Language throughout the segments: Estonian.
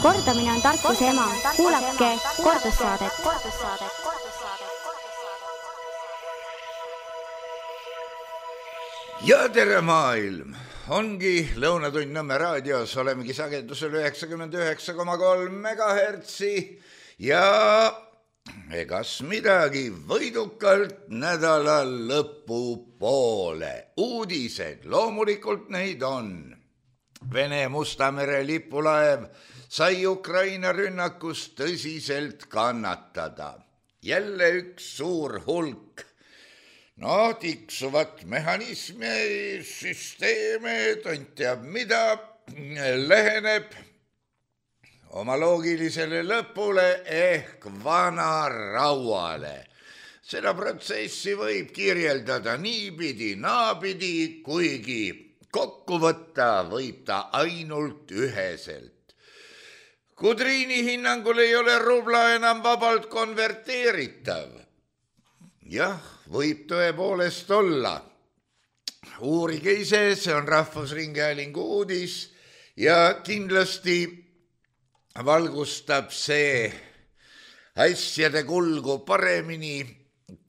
Kordamine on tarkuse ema. Kuulake kordussaadet. Ja tere maailm! Ongi Lõunatund Nõmme raadios, olemegi sagedusel 99,3 megahertsi ja egas midagi, võidukalt nädala lõpu poole. Uudised, loomulikult neid on. Vene Musta mere lipulaev sai Ukraina rünnakus tõsiselt kannatada. Jälle üks suur hulk tiksuvat mehhanismi, süsteeme, tont teab mida, läheneb oma loogilisele lõpule ehk vanarauale. Seda protsessi võib kirjeldada niipidi, naapidi, kuigi kokku võtta võib ta ainult üheselt. Kudriini hinnangul ei ole rubla enam vabalt konverteeritav. Jah, võib tõepoolest olla. Uurige ise, see on Rahvusringhäälingu uudis ja kindlasti valgustab see asjade kulgu paremini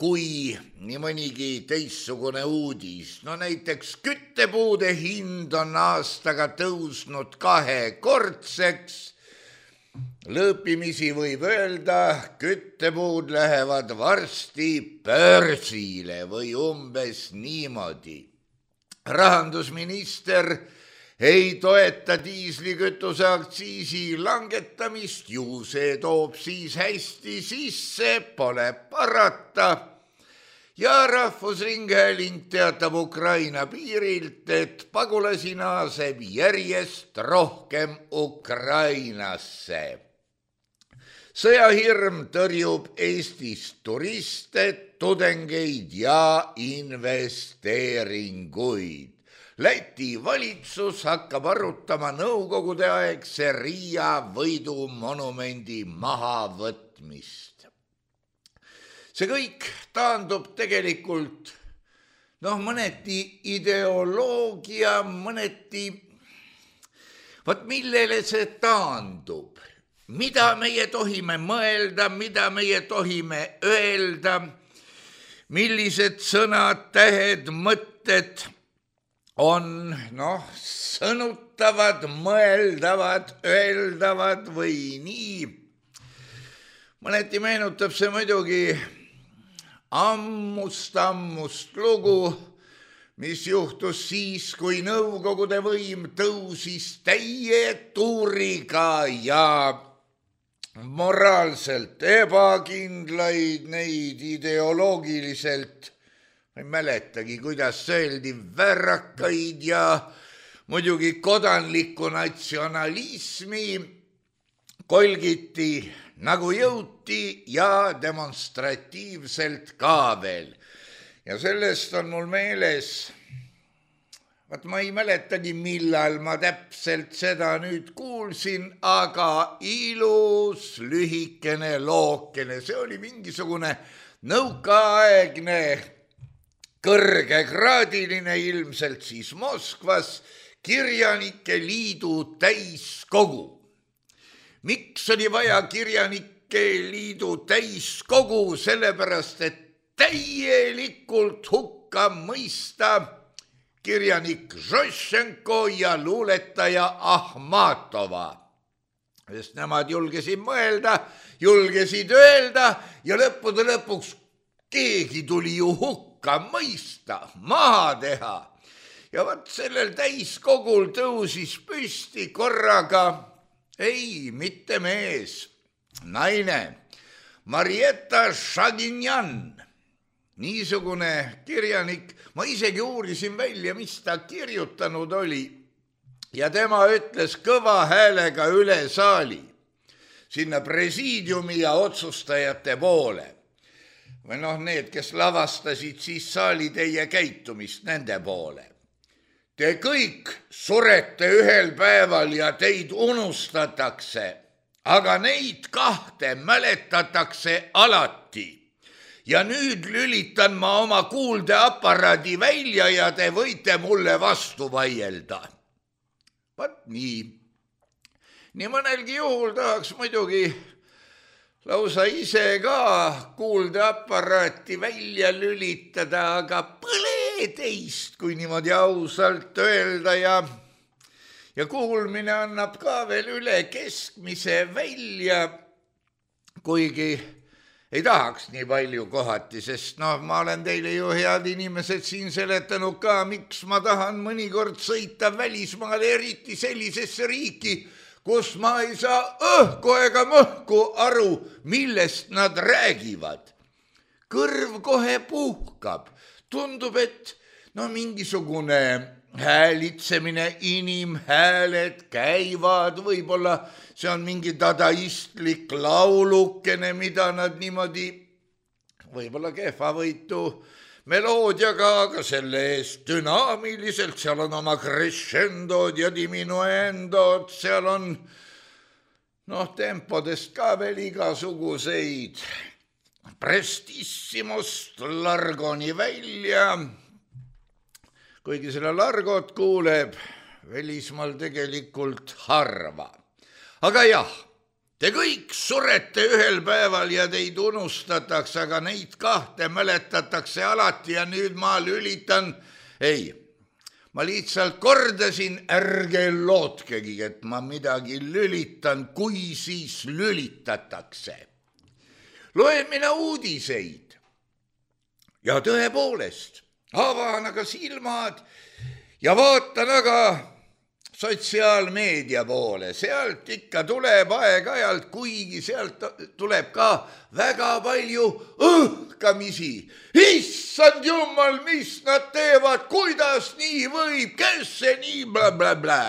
kui nii mõnigi teistsugune uudis. No näiteks küttepuude hind on aastaga tõusnud 2-kordseks. Lõõpimisi võib öelda, küttepuud lähevad varsti börsile või umbes niimoodi. Rahandusminister ei toeta diislikütuse aktsiisi langetamist, ju see toob siis hästi sisse, pole parata. Ja Rahvusringhääling teatab Ukraina piirilt, et pagulasi naaseb järjest rohkem Ukrainasse. Sõjahirm tõrjub Eestist turiste, tudengeid ja investeeringuid. Läti valitsus hakkab arutama nõukogude aegse Riia võidumonumendi mahavõtmist. See kõik taandub tegelikult mõneti ideoloogia, mõneti, millele see taandub, mida meie tohime mõelda, mida meie tohime öelda, millised sõnad, tähed, mõtted on sõnutavad, mõeldavad, öeldavad või nii. Mõneti meenutab see muidugi ammust lugu, mis juhtus siis, kui Nõukogude võim tõusis täie tuuriga ja moraalselt ebakindlaid, neid ideoloogiliselt, ma ei mäletagi, kuidas öeldi, värrakaid ja muidugi kodanliku natsionalismi kolgiti nagu jõuti ja demonstratiivselt ka veel. Ja sellest on mul meeles, ma ei mäletagi, millal ma täpselt seda nüüd kuulsin, aga ilus lühikene lookene, see oli mingisugune nõukaaegne kõrgekraadiline, ilmselt siis Moskvas, kirjanike liidu täiskogu. Miks oli vaja kirjanike liidu täiskogu? Sellepärast, et täielikult hukka mõista kirjanik Žošenko ja luuletaja Ahmatova. Sest nemad julgesid mõelda, julgesid öelda ja lõppude lõpuks keegi tuli ju hukka mõista, maha teha. Ja sellel täiskogul tõusis püsti korraga ei, mitte mees, naine, Marietta Šaginjan, niisugune kirjanik, ma isegi uurisin välja, mis ta kirjutanud oli ja tema ütles kõva häälega üle saali, sinna presiidiumi ja otsustajate poole. Või need, kes lavastasid siis saali teie käitumist nende poole. Te kõik surete ühel päeval ja teid unustatakse, aga neid kahte mäletatakse alati. Ja nüüd lülitan ma oma kuuldeaparaadi välja ja te võite mulle vastu vaielda. Vaat nii. nii mõnelgi juhul tahaks muidugi lausa ise ka kuuldeaparaati välja lülitada, aga põle teist, kui niimoodi ausalt öelda ja kuulmine annab ka veel üle keskmise välja, kuigi ei tahaks nii palju kohati, sest ma olen teile ju head inimesed siin seletanud ka, miks ma tahan mõnikord sõita välismaale, eriti sellisesse riiki, kus ma ei saa õhku ega mõhku aru, millest nad räägivad. Kõrv kohe puhkab. Tundub, et mingisugune häälitsemine, inimhääled käivad, võib-olla see on mingi dadaistlik laulukene, mida nad niimoodi võib-olla kehvavõitu meloodiaga, aga selle eest dünaamiliselt, seal on oma crescendod ja diminuendod, seal on tempodest ka veel igasuguseid prestissimust largoni välja, kuigi selle largot kuuleb välismaal tegelikult harva. Aga jah, te kõik surete ühel päeval ja teid unustatakse, aga neid kahte mäletatakse alati ja nüüd ma lülitan. Ei, ma lihtsalt kordasin, ärge lootkegi, et ma midagi lülitan, kui siis lülitatakse. Loen mina uudiseid ja tõepoolest avan aga silmad ja vaatan aga sotsiaalmeedia poole, sealt ikka tuleb aeg-ajalt, kuigi sealt tuleb ka väga palju õhkamisi. Issand jumal, mis nad teevad, kuidas nii võib, kes see nii blablabla.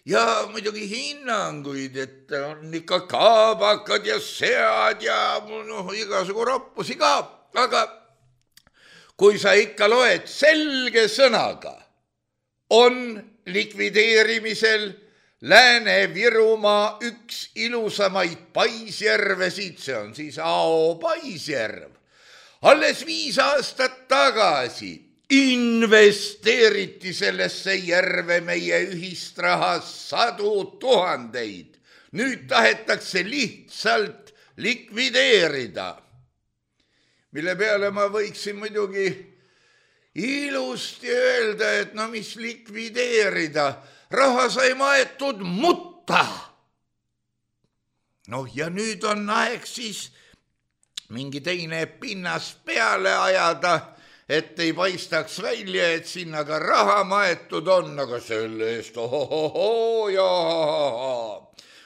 Ja muidugi hinnanguid, et on ikka kaabakad ja sead ja igasugu roppusi ka, aga kui sa ikka loed selge sõnaga, on likvideerimisel Lääne-Virumaa üks ilusamaid paisjärvesid, see on siis Ao paisjärv. Alles 5 aastat tagasi investeeriti sellesse järve meie ühist raha 100 000. Nüüd tahetakse lihtsalt likvideerida, mille peale ma võiksin muidugi ilusti öelda, et mis likvideerida, raha sai maetud mutta. Ja nüüd on aeg siis mingi teine pinnas peale ajada, et ei paistaks välja, et sinna ka raha maetud on, aga selle eest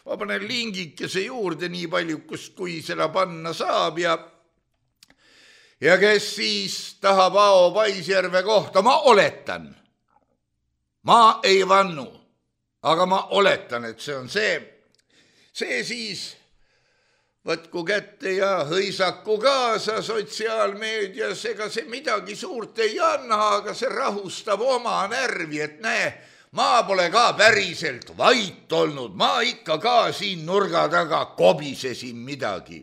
ma panen lingikese juurde nii palju, kui seda panna saab ja kes siis tahab Ao paisjärve kohta, ma oletan, ma ei vannu, aga ma oletan, et see on see siis võtku kätte ja hõisaku kaasa sotsiaalmeedias, ega see midagi suurt ei anna, aga see rahustab oma närvi, et näe, ma pole ka päriselt vait olnud, ma ikka ka siin nurga taga kobisesin midagi.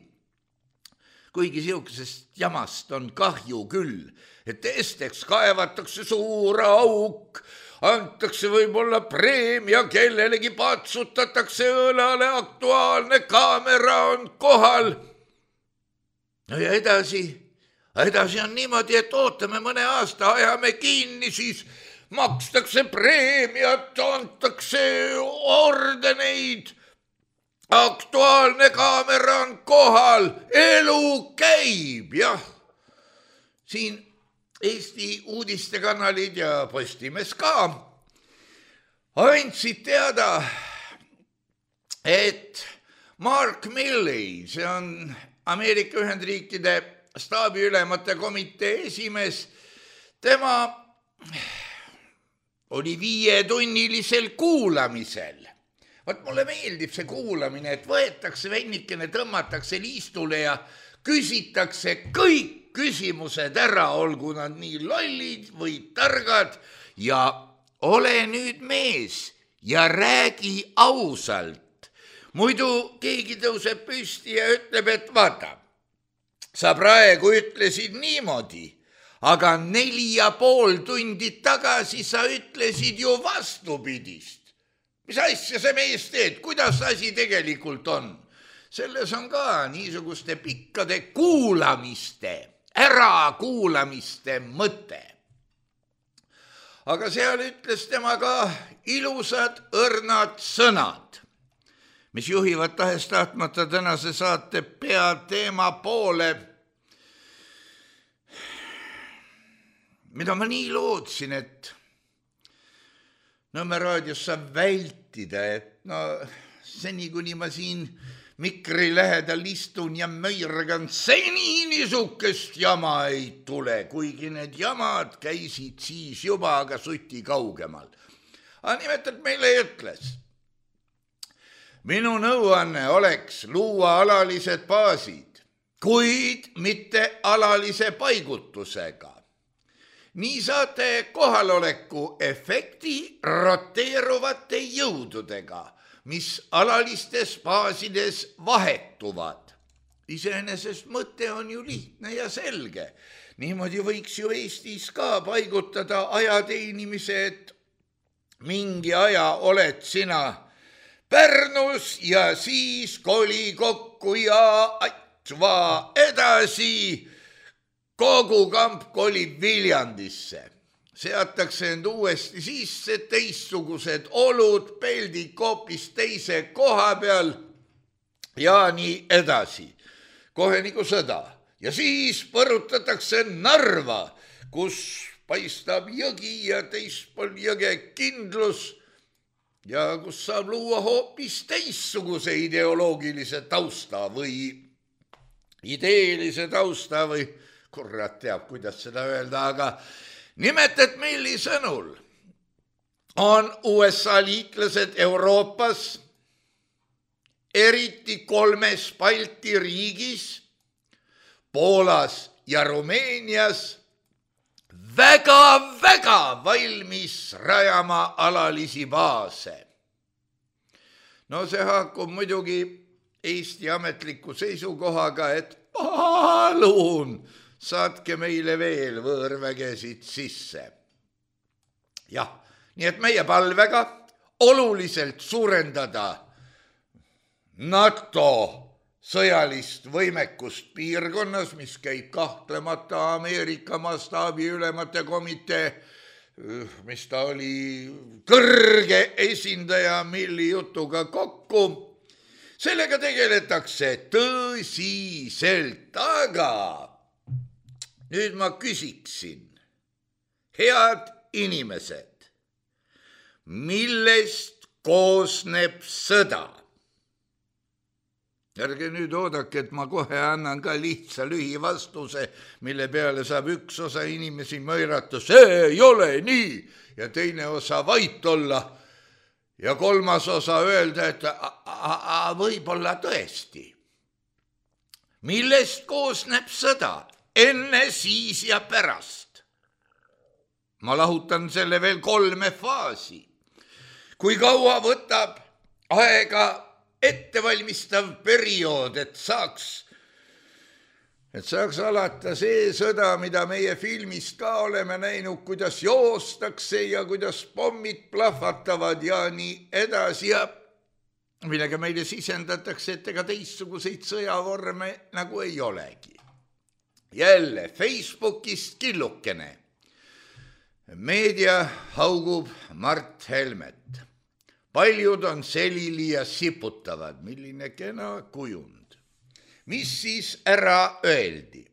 Kuigi siukesest jamast on kahju küll, et esteks kaevatakse suur auk, antakse võib-olla preemia, kellelegi patsutatakse õlale, Aktuaalne kaamera on kohal. Ja edasi on niimoodi, et ootame mõne aasta, ajame kinni, siis makstakse preemiat, antakse ordeneid, Aktuaalne kaamera on kohal, elu käib, jah. Siin Eesti uudistekanalid ja Postimees ka andsid teada, et Mark Milley, see on Ameerika Ühendriikide staabiülemate komitee esimees, tema oli 5-tunnilisel kuulamisel. Mulle meeldib see kuulamine, et võetakse vennikene, tõmmatakse liistule ja küsitakse kõik küsimused ära, olgu nad nii lollid või targad ja ole nüüd mees ja räägi ausalt. Muidu keegi tõuseb püsti ja ütleb, et vaata, sa praegu ütlesid niimoodi, aga 4,5 tundi tagasi sa ütlesid ju vastupidist. mis asja see mees teed, kuidas asi tegelikult on? Selles on ka niisuguste pikkade kuulamiste, ärakuulamiste mõte. Aga seal ütles tema ka ilusad õrnad sõnad, mis juhivad tahes-tahtmata tänase saate peateema poole, mida ma nii lootsin, et Nõmme raadios saab vältida, et seni, kuni ma siin mikri lähedal istun ja möirgan, seni niisugust jama ei tule, kuigi need jamad käisid siis juba aga suti kaugemal. Aga nimetalt meile ütles, minu nõuanne oleks luua alalised baasid, kuid mitte alalise paigutusega. Nii saate kohaloleku efekti roteeruvate jõududega, mis alalistes baasides vahetuvad. Iseenesest mõte on ju lihtne ja selge. Niimoodi võiks ju Eestis ka paigutada ajateenimise, et mingi aja oled sina Pärnus ja siis koli kokku ja aitsva edasi. Kogu kamp kolib Viljandisse. Seatakse end uuesti sisse, teistsugused olud, peldid hoopis teise koha peal ja nii edasi. Kohe nagu sõda. Ja siis põrutatakse Narva, kus paistab jõgi ja teispool jõge kindlus ja kus saab luua hoopis teistsuguse ideoloogilise tausta või ideelise tausta või kurat teab, kuidas seda öelda, aga nimetad Milli sõnul on USA liitlased Euroopas, eriti 3 Balti riigis, Poolas ja Rumeenias väga valmis rajama alalisi baase. No see haakub muidugi Eesti ametliku seisukohaga, et palun saatke meile veel võõrvägesid sisse. Jah, nii et meie palvega oluliselt suurendada NATO sõjalist võimekust piirkonnas, mis käib kahtlemata Ameerika mastaabi ülemate komitee, mis ta oli kõrge esindaja Milli jutuga kokku. Sellega tegeletakse tõsiselt, aga nüüd ma küsiksin, head inimesed, millest koosneb sõda? Ärge nüüd oodake, et ma kohe annan ka lihtsa lühivastuse, mille peale saab üks osa inimesi möirata, see ei ole nii, ja teine osa vait olla ja kolmas osa öelda, et võib-olla tõesti. Millest koosneb sõda? Enne, siis ja pärast. Ma lahutan selle veel 3 faasi. Kui kaua võtab aega ettevalmistav periood, et saaks alata see sõda, mida meie filmist ka oleme näinud, kuidas joostakse ja kuidas pommid plahvatavad ja nii edasi ja millega meile sisendatakse, et ega teistsuguseid sõjavorme nagu ei olegi. Jälle Facebookist killukene. Meedia haugub Mart Helmet. Paljud on selili ja siputavad, milline kena kujund. Mis siis ära öeldi?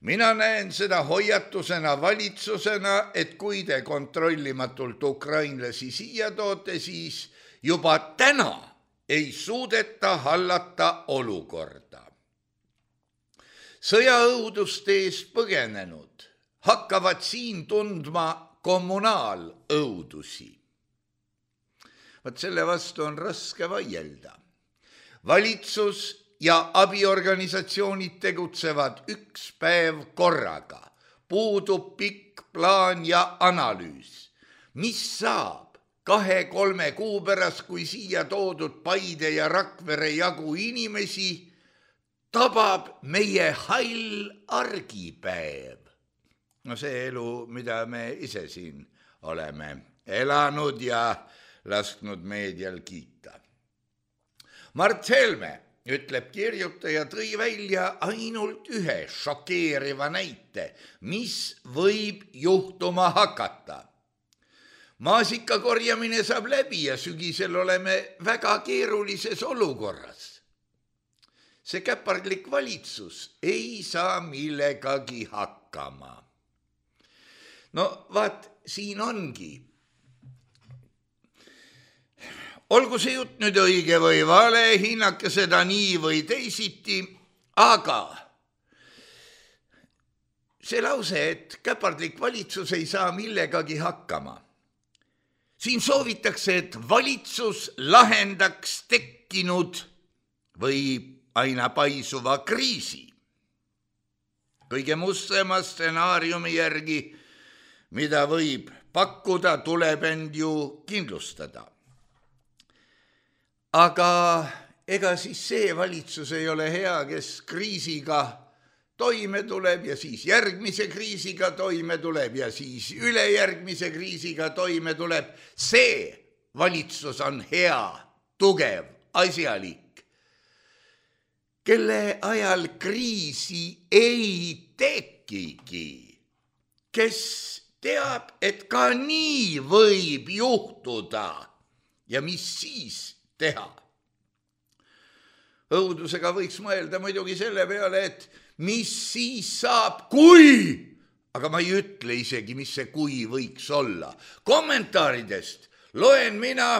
Mina näen seda hoiatusena valitsusena, et kui te kontrollimatult ukrainlasi siia toote, siis juba täna ei suudeta hallata olukorda. Sõjaõuduste eest põgenenud hakkavad siin tundma kommunaalõudusi. Vaat selle vastu on raske vaielda. Valitsus ja abiorganisatsioonid tegutsevad üks päev korraga. Puudub pikk plaan ja analüüs. Mis saab 2-3 kuu pärast, kui siia toodud Paide ja Rakvere jagu inimesi tabab meie hall argipäev? No see elu, mida me ise siin oleme elanud ja lasknud meedial kiita. Mart Helme, ütleb kirjutaja, tõi välja ainult ühe šokeeriva näite, mis võib juhtuma hakata. Maasika korjamine saab läbi ja sügisel oleme väga keerulises olukorras. See käpardlik valitsus ei saa millegagi hakkama. No vaat, siin ongi. Olgu see jutt nüüd õige või vale, hinnake seda nii või teisiti, aga see lause, et käpardlik valitsus ei saa millegagi hakkama. Siin soovitakse, et valitsus lahendaks tekkinud või aina paisuva kriisi. Kõige mustema stsenaariumi järgi, mida võib pakkuda, tuleb end ju kindlustada. Aga ega siis see valitsus ei ole hea, kes kriisiga toime tuleb ja siis järgmise kriisiga toime tuleb ja siis ülejärgmise kriisiga toime tuleb. See valitsus on hea, tugev, asjalik, kelle ajal kriisi ei tekigi, kes teab, et ka nii võib juhtuda ja mis siis teha. Õudusega võiks mõelda muidugi selle peale, et mis siis saab, kui, aga ma ei ütle isegi, mis see kui võiks olla. Kommentaaridest loen mina,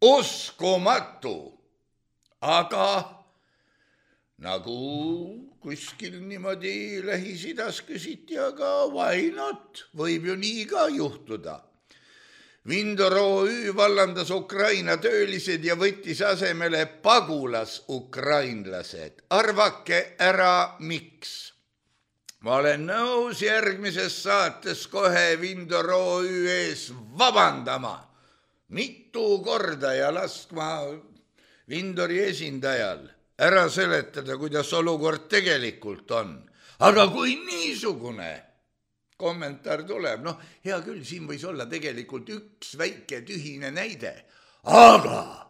uskumatu, aga nagu kuskil niimoodi Lähis-Idas küsiti, aga why not, võib ju nii ka juhtuda. Vindor OÜ vallandas Ukraina töölised ja võttis asemele pagulas-ukrainlased. Arvake ära, miks? Ma olen nõus järgmises saates kohe Vindor OÜ ees vabandama. Mitu korda ja laskma Vindori esindajal ära seletada, kuidas olukord tegelikult on. Aga kui niisugune kommentaar tuleb, hea küll, siin võis olla tegelikult üks väike tühine näide, aga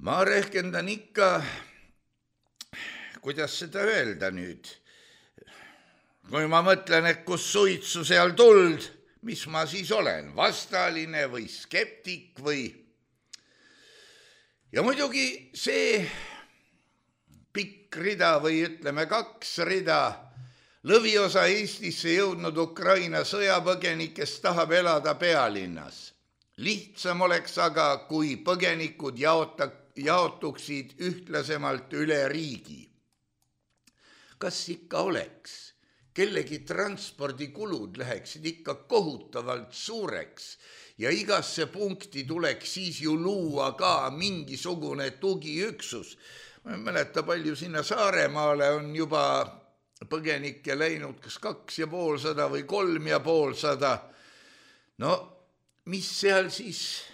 ma rehkendan ikka, kuidas seda öelda nüüd, kui ma mõtlen, et kus suitsu seal tuld, mis ma siis olen, vastaline või skeptik või. Ja muidugi see pikk rida või ütleme 2 rida lõviosa Eestisse jõudnud Ukraina sõjapõgenikest tahab elada pealinnas. Lihtsam oleks aga, kui põgenikud jaotuksid ühtlasemalt üle riigi. Kas ikka oleks? Kellegi transpordikulud läheksid ikka kohutavalt suureks ja igasse punkti tuleks siis ju luua ka mingisugune tugiüksus. Ma ei mäleta, palju sinna Saaremaale on juba põgenikke läinud kas 250 või 350. No, mis seal siis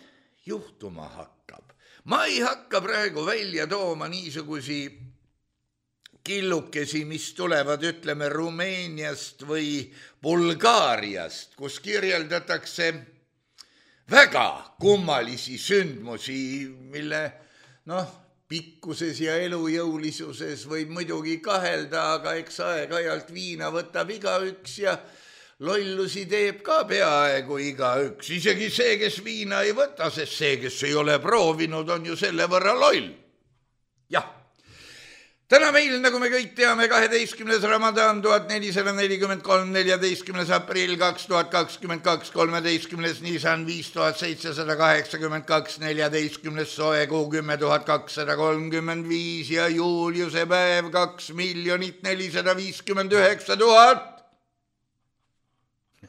juhtuma hakkab? Ma ei hakka praegu välja tooma niisugusi killukesi, mis tulevad, ütleme, Rumeeniast või Bulgaariast, kus kirjeldatakse väga kummalisi sündmusi, mille, pikkuses ja elujõulisuses võib muidugi kahelda, aga eks aeg-ajalt viina võtab igaüks ja lollusi teeb ka peaaegu igaüks. Isegi see, kes viina ei võta, sest see, kes ei ole proovinud, on ju selle võrra loll. Jah, täna meil, nagu me kõik teame, 12. Ramadan 1443, 14. aprill 2022, 13. Nisan 5782, 14. soekuu 10 235 ja Juliuse päev 2 459 000.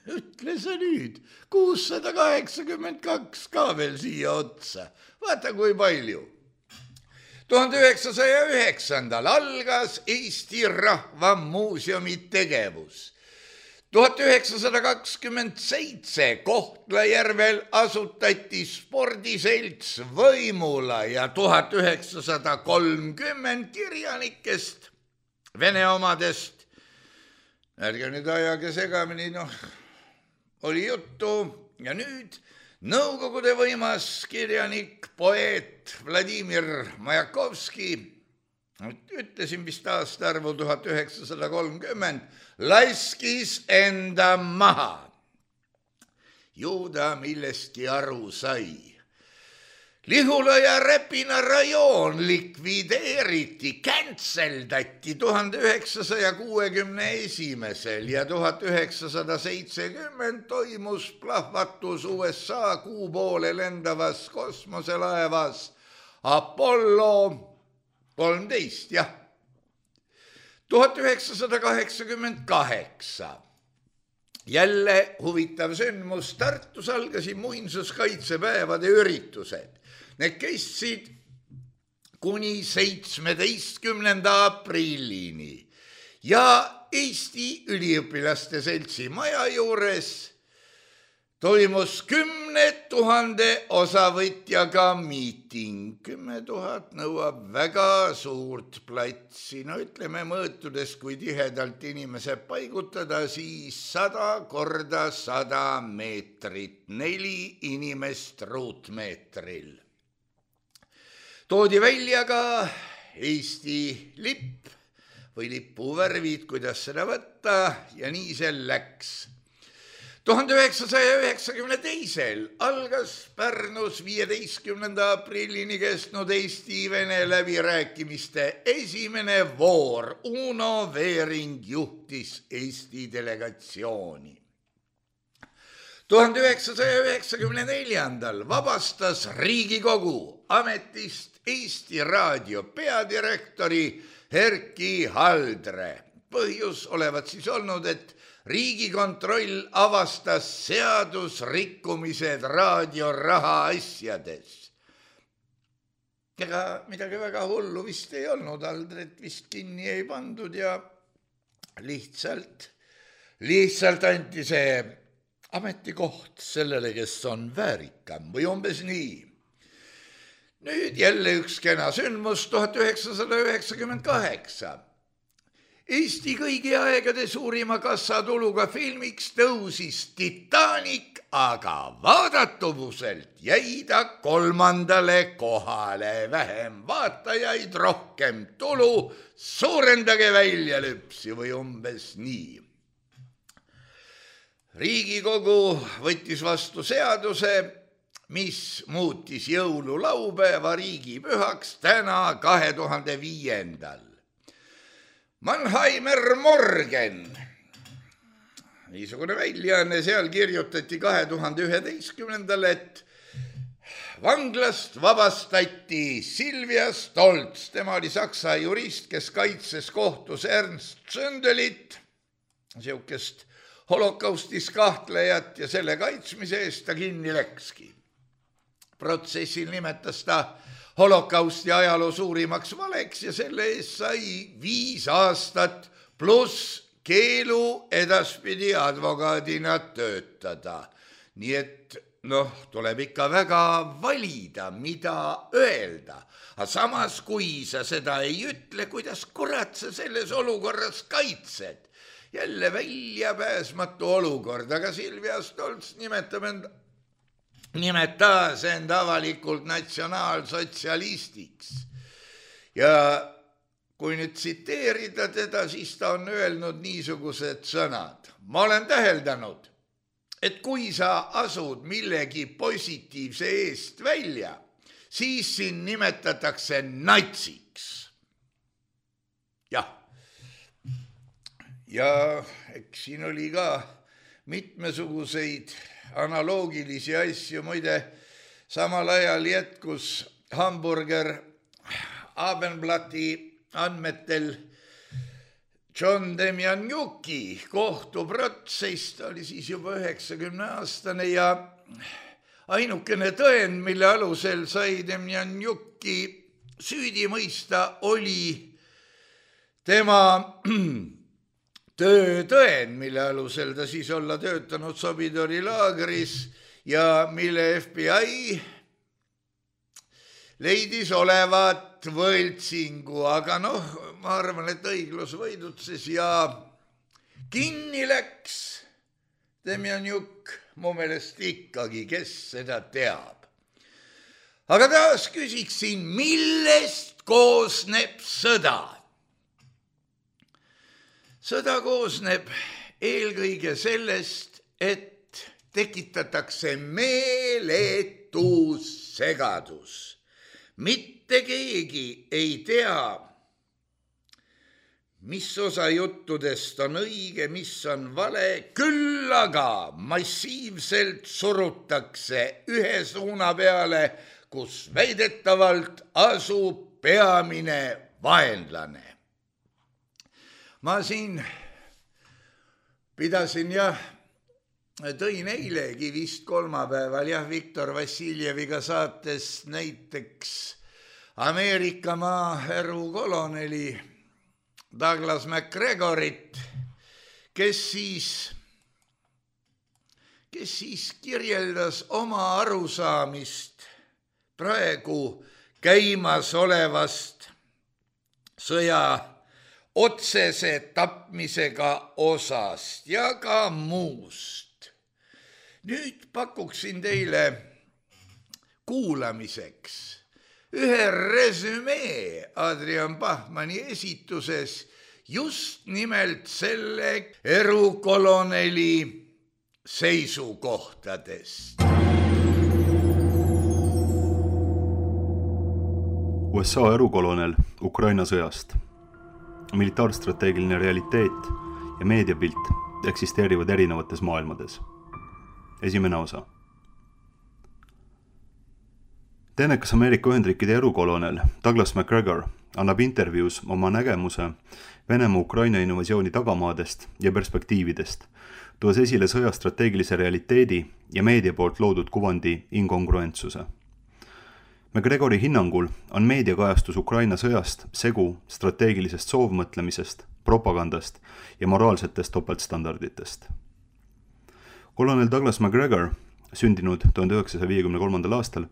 Ütle sa nüüd, 682 ka veel siia otsa. Vaata, kui palju. 1909. algas Eesti Rahva Muuseumi tegevus. 1927 Kohtla-Järvel asutati spordiselts Võimula ja 1930 kirjanikest, vene omadest, ärge nüüd ajage segamini, oli juttu ja nüüd Nõukogude võimas kirjanik, poeet Vladimir Majakovski, ütlesin vist aastaarvu 1930, laskis enda maha. Ju ta millestki aru sai. Lihula ja Räpina rajoon likvideeriti, kantseldati 1961 ja 1970 toimus plahvatus USA kuu poole lendavas kosmoselaevas Apollo 13, jah. 1988. Jälle huvitav sündmus, Tartus algasid muinsuskaitsepäevade üritused. Need kestsid kuni 17. aprillini ja Eesti Üliõpilaste Seltsi maja juures toimus 10 000 osavõtjaga miiting. 10 000 nõuab väga suurt platsi. Ütleme mõõtudes, kui tihedalt inimesed paigutada, siis 100 korda 100 meetrit, 4 inimest ruutmeetril. Toodi välja ka Eesti lipp või lipuvärvid, kuidas seda võtta, ja nii see läks. 1992. algas Pärnus 15. aprillini kestnud Eesti-Vene läbirääkimiste esimene voor. Uno Veering juhtis Eesti delegatsiooni. 1994. vabastas Riigikogu ametist Eesti Raadio peadirektori Erki Haldre. Põhjus olevat siis olnud, et Riigikontroll avastas seadusrikkumised raadioraha asjades. Ega midagi väga hullu vist ei olnud, Haldret vist kinni ei pandud ja lihtsalt anti see ametikoht sellele, kes on väärikam või umbes nii. Nüüd jälle üks kena sündmus, 1998. Eesti kõigi aegade suurima kassatuluga filmiks tõusis Titanic, aga vaadatuvuselt jäi ta 3. kohale. Vähem vaatajaid, rohkem tulu, suurendage väljalüpsi või umbes nii. Riigikogu võttis vastu seaduse, mis muutis jõululaupäeva riigipühaks täna 2005. Mannheimer Morgen, niisugune väljaanne, seal kirjutati 2011. et vanglast vabastati Silvia Stolz. Tema oli saksa jurist, kes kaitses kohtus Ernst Zündelit, siukest holokaustis kahtlejat, ja selle kaitsmise eest ta kinni läkski. Protsessil nimetas ta holokausti ajaloo suurimaks valeks ja selle eest sai 5 aastat pluss keelu edaspidi advokaadina töötada. Nii et tuleb ikka väga valida, mida öelda. Aga samas, kui sa seda ei ütle, kuidas kurat sa selles olukorras kaitsed? Jälle väljapääsmatu olukord, aga Silvia Stolz nimetas end avalikult natsionaalsotsialistiks. Ja kui nüüd tsiteerida teda, siis ta on öelnud niisugused sõnad. Ma olen täheldanud, et kui sa asud millegi positiivse eest välja, siis siin nimetatakse natsiks. Jah. Ja eks siin oli ka mitmesuguseid analoogilisi asju. Muide, samal ajal jätkus Hamburger Abendblati andmetel John Demjanjuki kohtuprotsess. Ta oli siis juba 90-aastane ja ainukene tõend, mille alusel sai Demjanjuki süüdi mõista, oli tema töötõend, mille alusel ta siis olla töötanud Sobidori laagris ja mille FBI leidis olevat võltsingu, aga ma arvan, et õiglus võidutses ja kinni läks Demjanjuk, mu meelest ikkagi, kes seda teab. Aga taas küsiksin, millest koosneb sõda? Sõda koosneb eelkõige sellest, et tekitatakse meeletu segadus. Mitte keegi ei tea, mis osa juttudest on õige, mis on vale, küll aga massiivselt surutakse ühe suuna peale, kus väidetavalt asub peamine vaenlane. Ma siin pidasin tõin eilegi vist kolmapäeval Viktor Vassiljeviga saates näiteks Ameerika maaerukoloneli Douglas MacGregorit, kes siis kirjeldas oma arusaamist praegu käimas olevast sõja otsese tapmisega osast ja ka muust. Nüüd pakuksin teile kuulamiseks ühe resümee Adrian Bachmanni esituses just nimelt selle erukoloneli seisukohtadest. USA erukolonel Ukraina sõjast. Militaarstrateegiline realiteet ja meediapilt eksisteerivad erinevates maailmades. Esimene osa. Teenekas Ameerika Ühendriikide erukolonel Douglas MacGregor annab intervjuus oma nägemuse Venemaa Ukraina invasiooni tagamaadest ja perspektiividest, tuues esile sõja strateegilise realiteedi ja meedia poolt loodud kuvandi inkongruentsuse. MacGregori hinnangul on meediakajastus Ukraina sõjast segu strateegilisest soovmõtlemisest, propagandast ja moraalsetest topeltstandarditest. Kolonel Douglas MacGregor, sündinud 1953. aastal,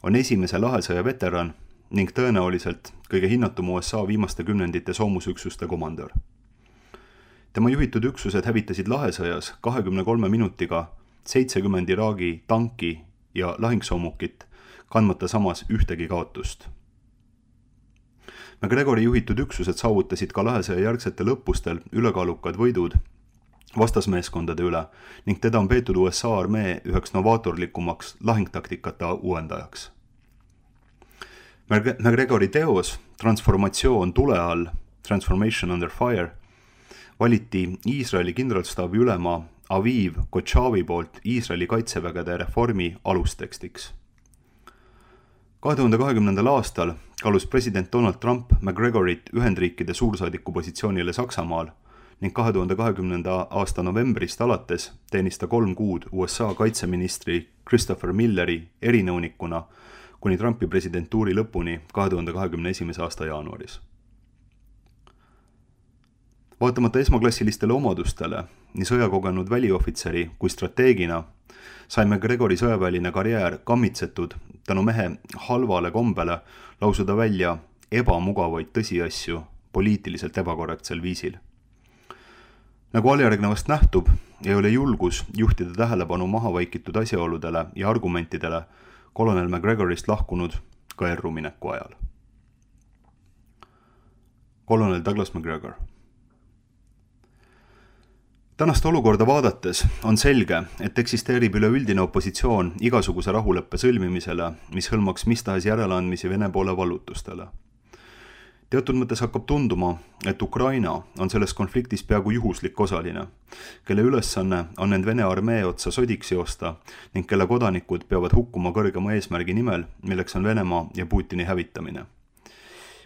on esimese lahesõja veteran ning tõenäoliselt kõige hinnatum USA viimaste kümnendite soomusüksuste komandör. Tema juhitud üksused hävitasid lahesõjas 23 minutiga 70 Iraagi tanki ja lahingsoomukit, kandmata samas ühtegi kaotust. MacGregori juhitud üksused saavutasid ka lahesõja järgsetel õppustel ülekaalukad võidud vastasmeeskondade üle ning teda on peetud USA armee üheks novaatorlikumaks lahingtaktikate uuendajaks. MacGregori teos Transformatsioon tule all, Transformation Under Fire, valiti Iisraeli kindralstaabi ülema Aviv Kochavi poolt Iisraeli kaitsevägede reformi alustekstiks. 2020. aastal kaalus president Donald Trump MacGregorit Ühendriikide suursaadiku positsioonile Saksamaal ning 2020. aasta novembrist alates teenis ta 3 kuud USA kaitseministri Christopher Milleri erinõunikuna kuni Trumpi presidentuuri lõpuni 2021. aasta jaanuaris. Vaatamata esmaklassilistele omadustele, nii sõjakogenud väliohvitseri kui strateegina, sai MacGregori sõjaväeline karjäär kammitsetud tänu mehe halvale kombele lausuda välja ebamugavaid tõsiasju poliitiliselt ebakorrektsel viisil. Nagu aljärgnevast nähtub, ei ole julgus juhtida tähelepanu mahavaikitud asjaoludele ja argumentidele kolonel MacGregorist lahkunud ka errumineku ajal. Kolonel Douglas MacGregor. Tänast olukorda vaadates on selge, et eksisteerib üleüldine opositsioon igasuguse rahuleppe sõlmimisele, mis hõlmaks mis tahes järeleandmisi Vene poole vallutustele. Teatud mõttes hakkab tunduma, et Ukraina on selles konfliktis peaaegu juhuslik osaline, kelle ülesanne on end Vene armee otsa sodiks joosta ning kelle kodanikud peavad hukkuma kõrgema eesmärgi nimel, milleks on Venemaa ja Putini hävitamine.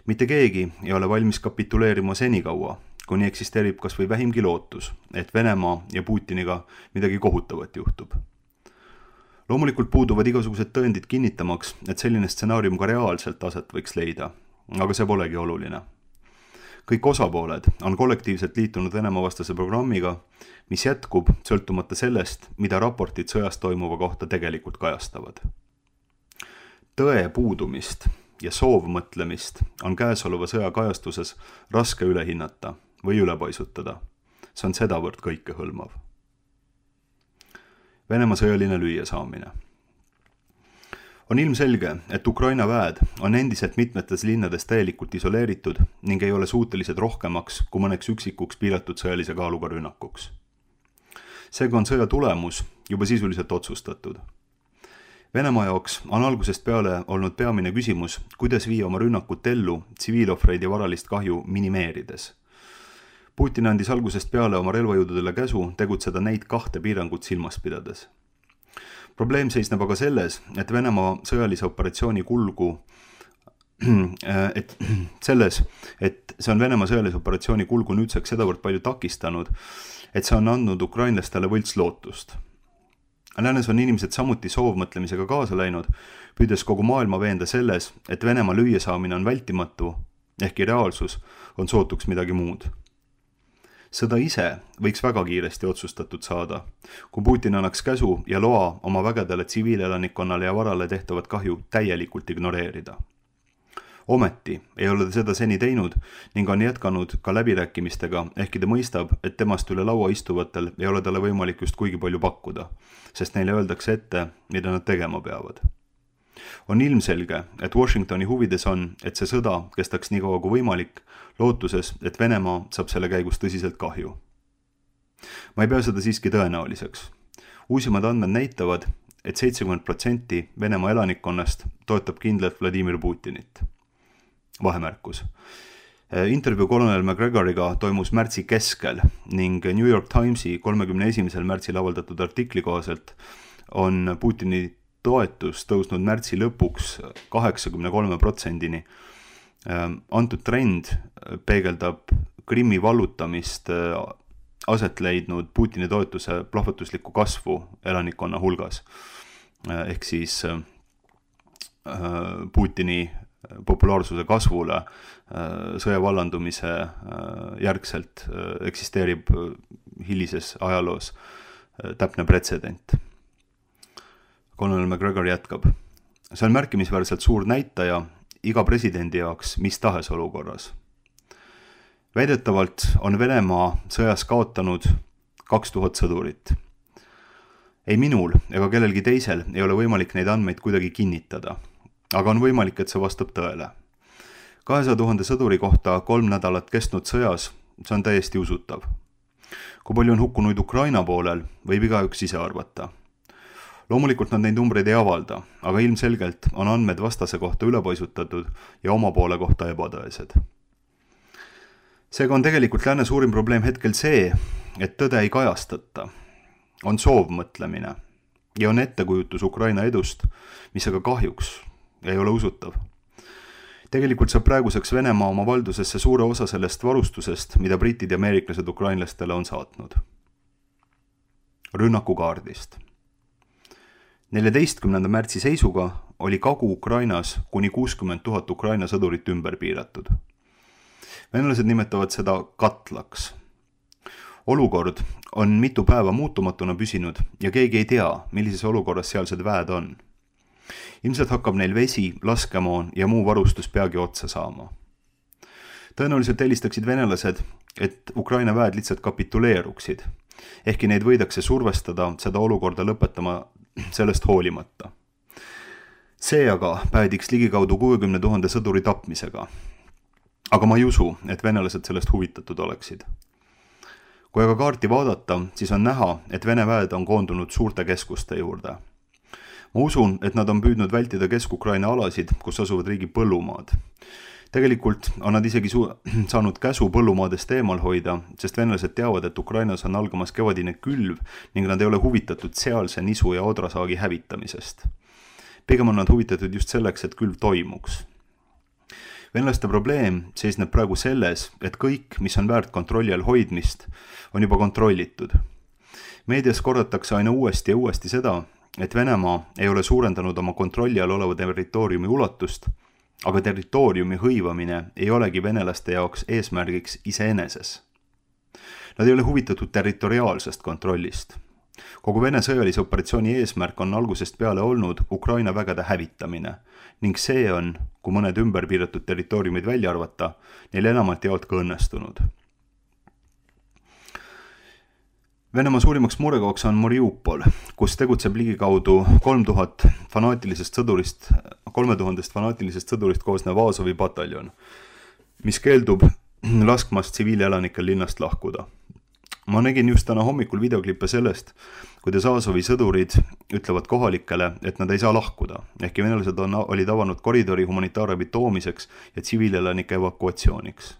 Mitte keegi ei ole valmis kapituleerima senikaua, kuni eksisteerib kas või vähimgi lootus, et Venemaa ja Putiniga midagi kohutavat juhtub. Loomulikult puuduvad igasugused tõendid kinnitamaks, et selline stsenaarium ka reaalselt aset võiks leida, aga see polegi oluline. Kõik osapooled on kollektiivselt liitunud Venemaa vastase programmiga, mis jätkub sõltumata sellest, mida raportid sõjas toimuva kohta tegelikult kajastavad. Tõe puudumist ja soovmõtlemist on käesoleva sõja kajastuses raske üle hinnata või üle paisutada, see on sedavõrd kõikehõlmav. Venemaa sõjaline lüüasaamine. On ilmselge, et Ukraina väed on endiselt mitmetes linnades täielikult isoleeritud ning ei ole suutelised rohkemaks kui mõneks üksikuks piiratud sõjalise kaaluga rünnakuks. Seega on sõja tulemus juba sisuliselt otsustatud. Venemaa jaoks on algusest peale olnud peamine küsimus, kuidas viia oma rünnakut ellu tsiviilohvreid ja varalist kahju minimeerides. Putin andis algusest peale oma relvajõududele käsu tegutseda neid 2 piirangut silmas pidades. Probleem seisneb aga selles, et Venemaa sõjalise operatsiooni kulgu, et see on Venemaa sõjalise operatsiooni kulgu nüüdseks sedavõrd palju takistanud, et see on andnud ukrainlastele võlts lootust. Läänes on inimesed samuti soovmõtlemisega kaasa läinud, püüdes kogu maailma veenda selles, et Venemaa lüüasaamine on vältimatu, ehkki reaalsus on sootuks midagi muud. Sõda ise võiks väga kiiresti otsustatud saada, kui Putin annaks käsu ja loa oma vägedele tsiviilelanikkonnale ja varale tehtavat kahju täielikult ignoreerida. Ometi ei ole ta seda seni teinud ning on jätkanud ka läbirääkimistega, ehkki ta mõistab, et temast üle laua istuvatel ei ole talle võimalik just kuigi palju pakkuda, sest neile öeldakse ette, mida nad tegema peavad. On ilmselge, et Washingtoni huvides on, et see sõda kestaks nii kaua kui võimalik, lootuses, et Venemaa saab selle käigus tõsiselt kahju. Ma ei pea seda siiski tõenäoliseks. Uusimad andmed näitavad, et 70% Venemaa elanikkonnast toetab kindlalt Vladimir Putinit. Vahemärkus. Intervjuu kolonel McGregoriga toimus märtsi keskel ning New York Timesi 31. märtsil avaldatud artikli kohaselt on Putini toetus tõusnud märtsi lõpuks 83%-ni. Antud trend peegeldab Krimmi vallutamist aset leidnud Putini toetuse plahvatuslikku kasvu elanikkonna hulgas. Ehk siis Putini populaarsuse kasvule sõja vallandumise järgselt eksisteerib hilises ajaloos täpne pretsedent. Colonel McGregor jätkab. See on märkimisväärselt suur näitaja iga presidendi jaoks mis tahes olukorras. Väidetavalt on Venemaa sõjas kaotanud 2000 sõdurit. Ei minul ega kellelgi teisel ei ole võimalik neid andmeid kuidagi kinnitada, aga on võimalik, et see vastab tõele. 200 000 sõduri kohta 3 nädalat kestnud sõjas, see on täiesti usutav. Kui palju on hukkunuid Ukraina poolel, võib igaüks ise arvata. Loomulikult nad neid numbreid ei avalda, aga ilmselgelt on andmed vastase kohta ülepaisutatud ja oma poole kohta ebatõesed. Seega on tegelikult lääne suurim probleem hetkel see, et tõde ei kajastata. On soovmõtlemine ja on ettekujutus Ukraina edust, mis aga kahjuks ei ole usutav. Tegelikult saab praeguseks Venemaa oma valdusesse suure osa sellest varustusest, mida britid ja ameeriklased ukrainlastele on saatnud. Rünnakukaardist. 14. märtsi seisuga oli Kagu-Ukrainas kuni 60 000 Ukraina sõdurit ümber piiratud. Venelased nimetavad seda katlaks. Olukord on mitu päeva muutumatuna püsinud ja keegi ei tea, millises olukorras sealsed väed on. Ilmselt hakkab neil vesi, laskemoon ja muu varustus peagi otsa saama. Tõenäoliselt eelistaksid venelased, et Ukraina väed lihtsalt kapituleeruksid, ehkki neid võidakse survestada seda olukorda lõpetama sellest hoolimata. See aga päädiks ligikaudu 60 000 sõduri tapmisega. Aga ma ei usu, et venelased sellest huvitatud oleksid. Kui aga kaarti vaadata, siis on näha, et Vene väed on koondunud suurte keskuste juurde. Ma usun, et nad on püüdnud vältida Kesk-Ukraina alasid, kus asuvad riigi põllumaad. Tegelikult on nad isegi saanud käsu põllumaadest eemal hoida, sest venelased teavad, et Ukrainas on algamas kevadine külv ning nad ei ole huvitatud sealse nisu ja odrasaagi hävitamisest. Pigem on nad huvitatud just selleks, et külv toimuks. Venelaste probleem seisneb praegu selles, et kõik, mis on väärt kontrolli all hoidmist, on juba kontrollitud. Meedias kordatakse aina uuesti ja uuesti seda, et Venemaa ei ole suurendanud oma kontrolli all oleva territooriumi ulatust, aga territooriumi hõivamine ei olegi venelaste jaoks eesmärgiks iseeneses. Nad ei ole huvitatud territoriaalsest kontrollist. Kogu Vene sõjalise operatsiooni eesmärk on algusest peale olnud Ukraina vägede hävitamine ning see on, kui mõned ümber piiratud territooriumid välja arvata, neil enamalt jaolt ka õnnestunud. Venemaa suurimaks murekohaks on Mariupol, kus tegutseb ligikaudu 3000 fanaatilisest sõdurist koosnev Azovi pataljon, mis keeldub laskmast tsiviilelanikel linnast lahkuda. Ma nägin just täna hommikul videoklippe sellest, kuidas Azovi sõdurid ütlevad kohalikele, et nad ei saa lahkuda, ehkki venelased olid avanud koridori humanitaarabi toomiseks ja tsiviilelanike evakuatsiooniks.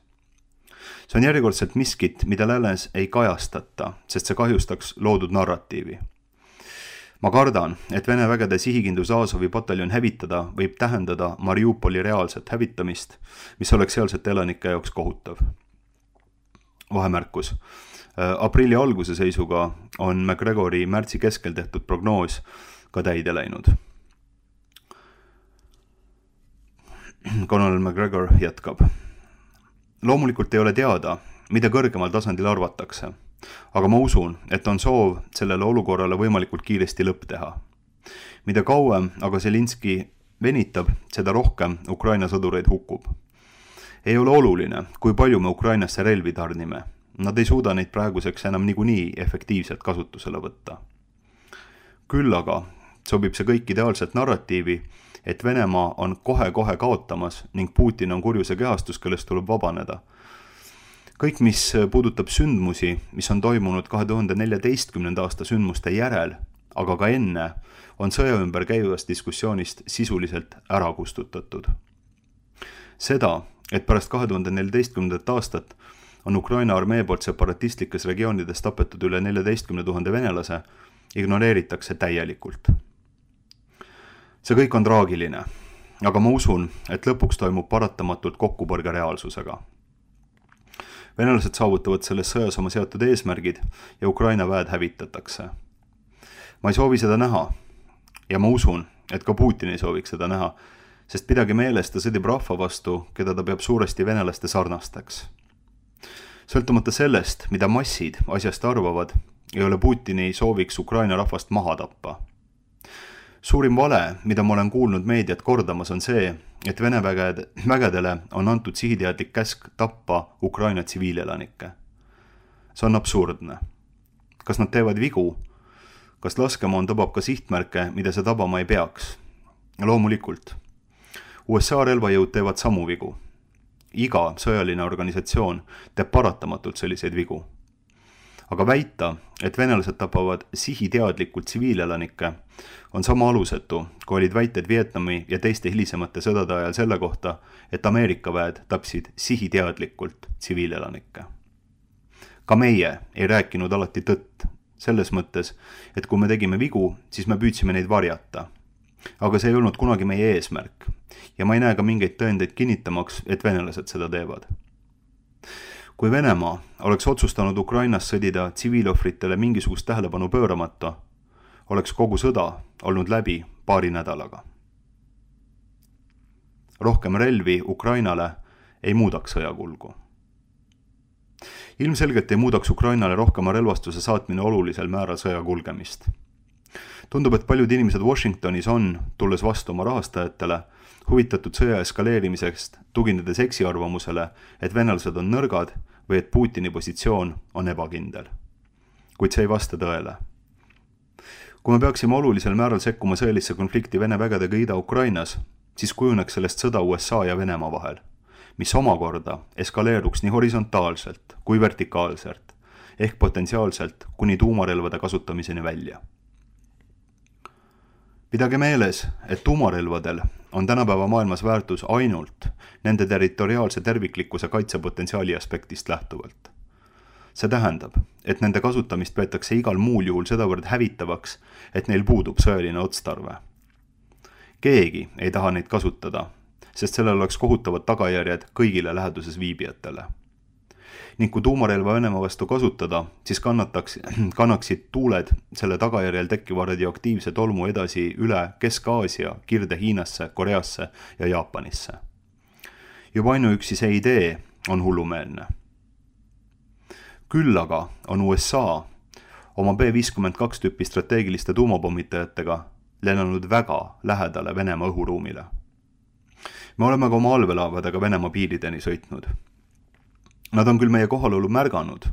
See on järjekordselt miskit, mida läänes ei kajastata, sest see kahjustaks loodud narratiivi. Ma kardan, et Vene vägede sihikindlus Azovi pataljon hävitada võib tähendada Mariupoli reaalset hävitamist, mis oleks sealsete elanike jaoks kohutav. Vahemärkus. Aprilli alguse seisuga on McGregori märtsi keskel tehtud prognoos ka täide läinud. Conal McGregor jätkab. Loomulikult ei ole teada, mida kõrgemal tasandil arvatakse, aga ma usun, et on soov sellele olukorrale võimalikult kiiresti lõpp teha. Mida kauem aga Zelinski venitab, seda rohkem Ukraina sõdureid hukkub. Ei ole oluline, kui palju me Ukrainasse relvi tarnime. Nad ei suuda neid praeguseks enam niikuinii efektiivselt kasutusele võtta. Küll aga sobib see kõik ideaalselt narratiivi, et Venemaa on kohe-kohe kaotamas ning Putin on kurjuse kehastus, kellest tuleb vabaneda. Kõik, mis puudutab sündmusi, mis on toimunud 2014. aasta sündmuste järel, aga ka enne, on sõja ümber käivast diskussioonist sisuliselt ära kustutatud. Seda, et pärast 2014. aastat on Ukraina armee poolt separatistlikes regioonides tapetud üle 14 000 venelase, ignoreeritakse täielikult. See kõik on traagiline, aga ma usun, et lõpuks toimub paratamatult kokkupõrge reaalsusega. Venelased saavutavad selles sõjas oma seatud eesmärgid ja Ukraina väed hävitatakse. Ma ei soovi seda näha ja ma usun, et ka Putin ei sooviks seda näha, sest pidage meeles, ta sõdib rahva vastu, keda ta peab suuresti venelaste sarnasteks. Sõltumata sellest, mida massid asjast arvavad, ei ole Putini sooviks Ukraina rahvast maha tappa. Suurim vale, mida ma olen kuulnud meediat kordamas, on see, et Vene vägedele on antud sihiteadlik käsk tappa Ukraina tsiviilelanikke. See on absurdne. Kas nad teevad vigu? Kas laskemoon tõbab ka sihtmärke, mida see tabama ei peaks? Loomulikult. USA relvajõud teevad samu vigu. Iga sõjaline organisatsioon teeb paratamatult selliseid vigu. Aga väita, et venelased tapavad sihiteadlikult tsiviilelanikke, on sama alusetu, kui olid väited Vietnami ja teiste hilisemate sõdade ajal selle kohta, et Ameerika väed tapsid sihiteadlikult tsiviilelanikke. Ka meie ei rääkinud alati tõtt, selles mõttes, et kui me tegime vigu, siis me püüdsime neid varjata. Aga see ei olnud kunagi meie eesmärk ja ma ei näe ka mingeid tõendeid kinnitamaks, et venelased seda teevad. Kui Venemaa oleks otsustanud Ukrainas sõdida tsiviilohvritele mingisugust tähelepanu pööramata, oleks kogu sõda olnud läbi paari nädalaga. Rohkem relvi Ukrainale ei muudaks sõjakulgu. Ilmselgelt ei muudaks Ukrainale rohkema relvastuse saatmine olulisel määral sõja kulgemist. Tundub, et paljud inimesed Washingtonis on, tulles vastu oma rahastajatele, huvitatud sõja eskaleerimisest, tuginedes eksiarvamusele, et venelased on nõrgad või et Putini positsioon on ebakindel. Kuid see ei vasta tõele. Kui me peaksime olulisel määral sekkuma sõjalisse konflikti Vene vägedega Ida-Ukrainas, siis kujuneks sellest sõda USA ja Venemaa vahel, mis omakorda eskaleeruks nii horisontaalselt kui vertikaalselt, ehk potentsiaalselt kuni tuumarelvade kasutamiseni välja. Pidage meeles, et tuumarelvadel on tänapäeva maailmas väärtus ainult nende territoriaalse terviklikkuse kaitsepotentsiaali aspektist lähtuvalt. See tähendab, et nende kasutamist peetakse igal muul juhul sedavõrd hävitavaks, et neil puudub sõjaline otstarve. Keegi ei taha neid kasutada, sest sellel oleks kohutavad tagajärjed kõigile läheduses viibijatele. Ning kui tuumarelva Venemaa vastu kasutada, siis kannaksid tuuled selle tagajärjel tekkiva radioaktiivse tolmu edasi üle Kesk-Aasia, Kirde-Hiinasse, Koreasse ja Jaapanisse. Juba ainuüksi see idee on hullumeelne. Küll aga on USA oma B-52 tüüpi strateegiliste tuumapommitajatega lennanud väga lähedale Venemaa õhuruumile. Me oleme ka oma allveelaevadega Venemaa piirideni sõitnud. Nad on küll meie kohalolu märganud,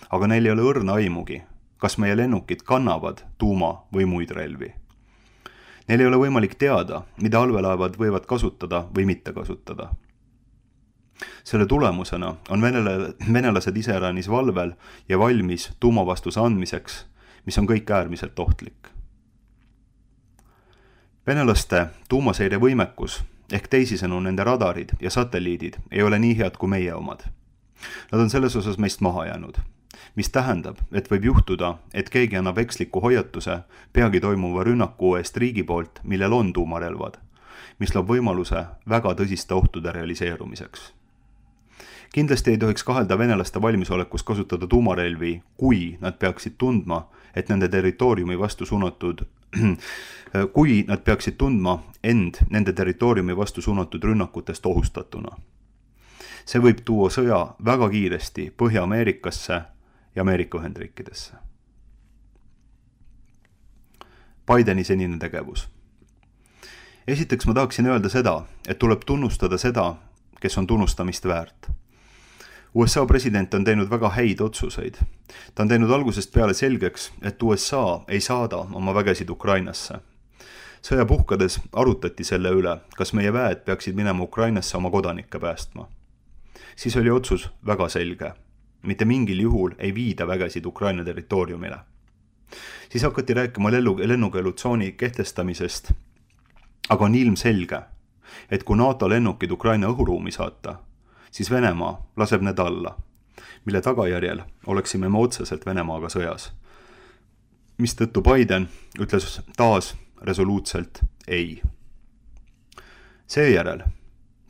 aga neil ei ole õrna aimugi, kas meie lennukid kannavad tuuma või muid relvi. Neil ei ole võimalik teada, mida allveelaevad võivad kasutada või mitte kasutada. Selle tulemusena on venelased iseäranis valvel ja valmis tuumavastuse andmiseks, mis on kõik äärmiselt ohtlik. Venelaste tuumaseire võimekus ehk teisisõnu nende radarid ja satelliidid ei ole nii head kui meie omad. Nad on selles osas meist maha jäänud, mis tähendab, et võib juhtuda, et keegi annab eksliku hoiatuse peagi toimuva rünnaku eest riigi poolt, millel on tuumarelvad, mis loob võimaluse väga tõsiste ohtude realiseerumiseks. Kindlasti ei tohiks kahelda venelaste valmisolekus kasutada tuumarelvi, kui nad peaksid tundma, et nende territooriumi vastu suunatud nende territooriumi vastu suunatud rünnakutest ohustatuna. See võib tuua sõja väga kiiresti Põhja-Ameerikasse ja Ameerika Ühendriikidesse. Bideni senine tegevus. Esiteks ma tahaksin öelda seda, et tuleb tunnustada seda, kes on tunnustamist väärt. USA president on teinud väga häid otsuseid. Ta on teinud algusest peale selgeks, et USA ei saada oma vägesid Ukrainasse. Sõja puhkades arutati selle üle, kas meie väed peaksid minema Ukrainasse oma kodanikke päästma. Siis oli otsus väga selge. Mitte mingil juhul ei viida vägesid Ukraina territooriumile. Siis hakati rääkima lennukeelutsooni kehtestamisest, aga on ilmselge, et kui NATO lennukid Ukraina õhuruumi saata, siis Venemaa laseb need alla, mille tagajärjel oleksime me otseselt Venemaaga sõjas. Mistõttu Biden ütles taas resoluutselt ei. Seejärel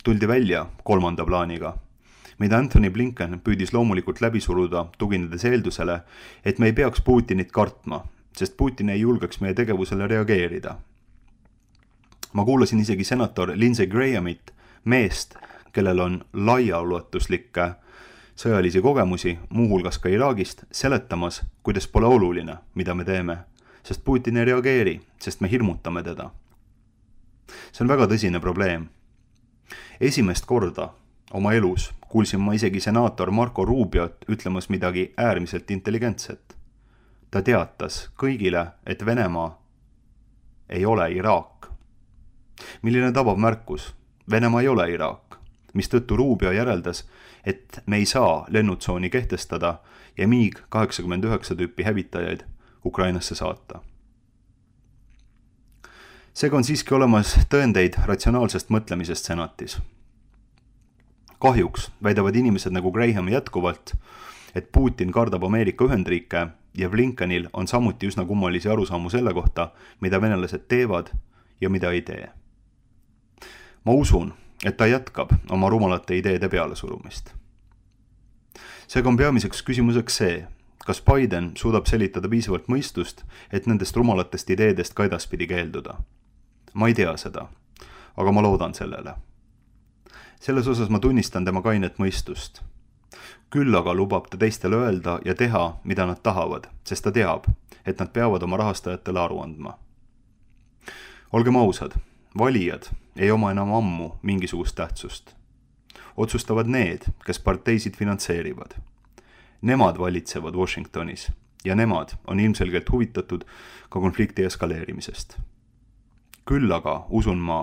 tuldi välja 3. plaaniga, mida Anthony Blinken püüdis loomulikult läbi suruda, tuginedes eeldusele, et me ei peaks Putinit kartma, sest Putin ei julgeks meie tegevusele reageerida. Ma kuulasin isegi senator Lindsey Grahamit, meest, kellel on laiaulatuslikke sõjalisi kogemusi, muuhulgas ka Iraagist, seletamas, kuidas pole oluline, mida me teeme, sest Putin ei reageeri, sest me hirmutame teda. See on väga tõsine probleem. Esimest korda oma elus kuulsin ma isegi senaator Marco Rubiot ütlemas midagi äärmiselt intelligentset. Ta teatas kõigile, et Venemaa ei ole Iraak. Milline tabav märkus? Venemaa ei ole Iraak, mistõttu Rubio järeldas, et me ei saa lennutsooni kehtestada ja MiG-89 tüüpi hävitajaid Ukrainasse saata. Seega on siiski olemas tõendeid ratsionaalsest mõtlemisest senatis. Kahjuks väidavad inimesed nagu Graham jätkuvalt, et Putin kardab Ameerika Ühendriike ja Blinkenil on samuti üsna kummalisi arusaamu selle kohta, mida venelased teevad ja mida ei tee. Ma usun, et ta jätkab oma rumalate ideede pealesurumist. Seega on peamiseks küsimuseks see, kas Biden suudab selitada piisavalt mõistust, et nendest rumalatest ideedest ka edaspidi keelduda. Ma ei tea seda, aga ma loodan sellele. Selles osas ma tunnistan tema kainet mõistust. Küll aga lubab ta teistele öelda ja teha, mida nad tahavad, sest ta teab, et nad peavad oma rahastajatele aru andma. Olgem ausad, valijad ei oma enam ammu mingisugust tähtsust. Otsustavad need, kes parteisid finantseerivad. Nemad valitsevad Washingtonis ja nemad on ilmselgelt huvitatud ka konflikti eskaleerimisest. Küll aga usun ma,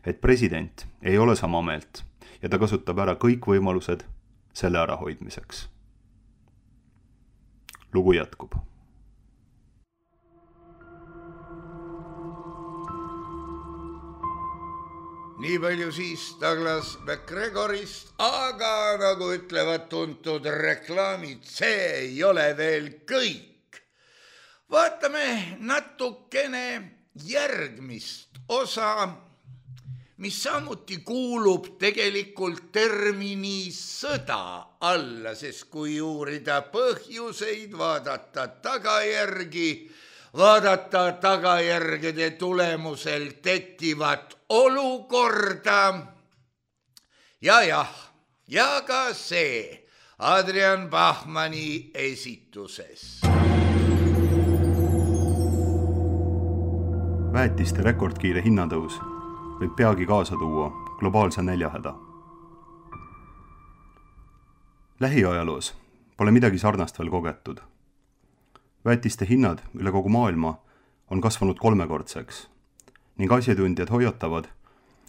et president ei ole sama meelt ja ta kasutab ära kõik võimalused selle ärahoidmiseks. Lugu jätkub. Nii palju siis Douglas McGregorist, aga nagu ütlevad tuntud reklaamid, see ei ole veel kõik. Vaatame natukene järgmist osa, mis samuti kuulub tegelikult termini sõda alla, sest kui uurida põhjuseid, vaadata tagajärgede tulemusel tekkivat olukorda ja ka see Adrian Bachmanni esituses. Väetiste rekordkiire hinnatõus võib peagi kaasa tuua globaalse näljahäda. Lähiajaloos pole midagi sarnast veel kogetud. Väetiste hinnad üle kogu maailma on kasvanud 3-kordseks ning asjatundjad hoiatavad,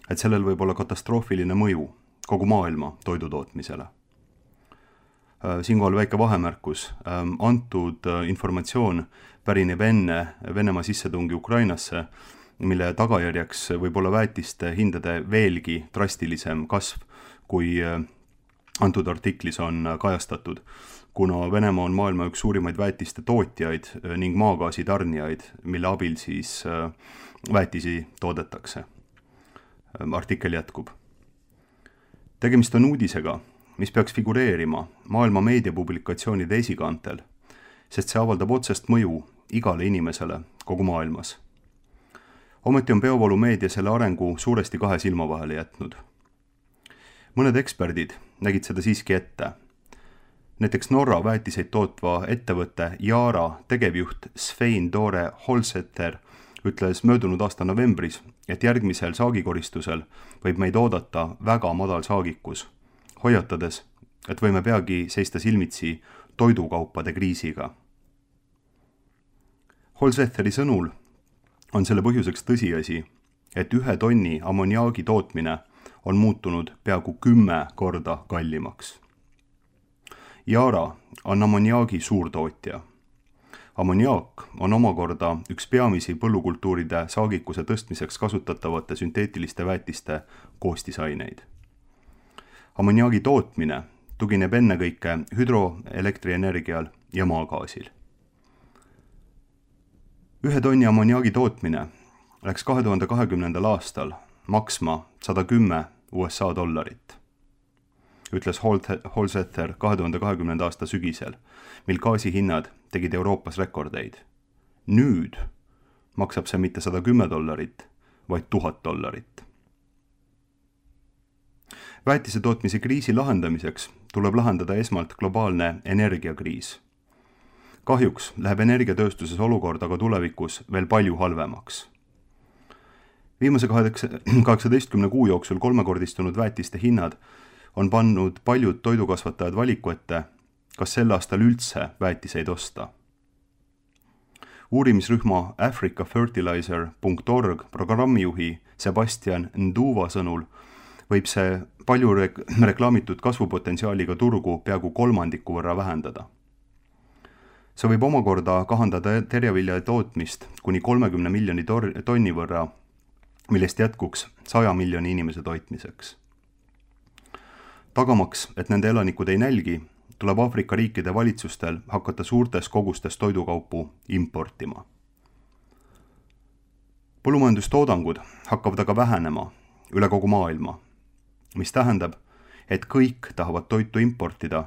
et sellel võib olla katastroofiline mõju kogu maailma toidutootmisele. Siinkohal väike vahemärkus. Antud informatsioon pärineb enne Venemaa sissetungi Ukrainasse, mille tagajärjeks võib olla väetiste hindade veelgi drastilisem kasv, kui antud artiklis on kajastatud, kuna Venemaa on maailma üks suurimaid väetiste tootjaid ning maagaasi tarnijaid, mille abil siis väetisi toodetakse. Artikkel jätkub. Tegemist on uudisega, mis peaks figureerima maailma meediapublikatsioonide esikaantel, sest see avaldab otsest mõju igale inimesele kogu maailmas. Ometi on peavoolumeedia selle arengu suuresti 2 silma vahele jätnud. Mõned eksperdid nägid seda siiski ette. Näiteks Norra väetiseid tootva ettevõtte Yara tegevjuht Svein Tore Holseter ütles möödunud aasta novembris, et järgmisel saagikoristusel võib meid oodata väga madal saagikus, hoiatades, et võime peagi seista silmitsi toidukaupade kriisiga. Holseteri sõnul on selle põhjuseks tõsiasi, et 1 tonni ammoniaagi tootmine on muutunud peaaegu 10 korda kallimaks. Yara on ammoniaagi suurtootja. Ammoniaak on omakorda üks peamisi põllukultuuride saagikuse tõstmiseks kasutatavate sünteetiliste väetiste koostisaineid. Ammoniaagi tootmine tugineb ennekõike hüdroelektrienergial ja maagaasil. 1 tonni ammoniaagi tootmine läks 2020. aastal maksma $110, ütles Holseter 2020. aasta sügisel, mil gaasihinnad tegid Euroopas rekordeid. Nüüd maksab see mitte $110, vaid $1000. Väetise tootmise kriisi lahendamiseks tuleb lahendada esmalt globaalne energiakriis. Kahjuks läheb energiatööstuses olukord aga tulevikus veel palju halvemaks. Viimase 18 kuu jooksul 3-kordistunud väetiste hinnad on pannud paljud toidukasvatajad valiku ette, kas sel aastal üldse väetiseid osta. Uurimisrühma africafertilizer.org programmijuhi Sebastian Nduva sõnul võib see palju reklaamitud kasvupotentsiaaliga turgu peaaegu 1/3 võrra vähendada. See võib omakorda kahandada terjavilja tootmist kuni 30 miljoni tonni võrra, millest jätkuks 100 miljoni inimese toitmiseks. Tagamaks, et nende elanikud ei nälgi, tuleb Aafrika riikide valitsustel hakata suurtes kogustes toidukaupu importima. Põllumajandustoodangud hakkavad aga vähenema üle kogu maailma, mis tähendab, et kõik tahavad toitu importida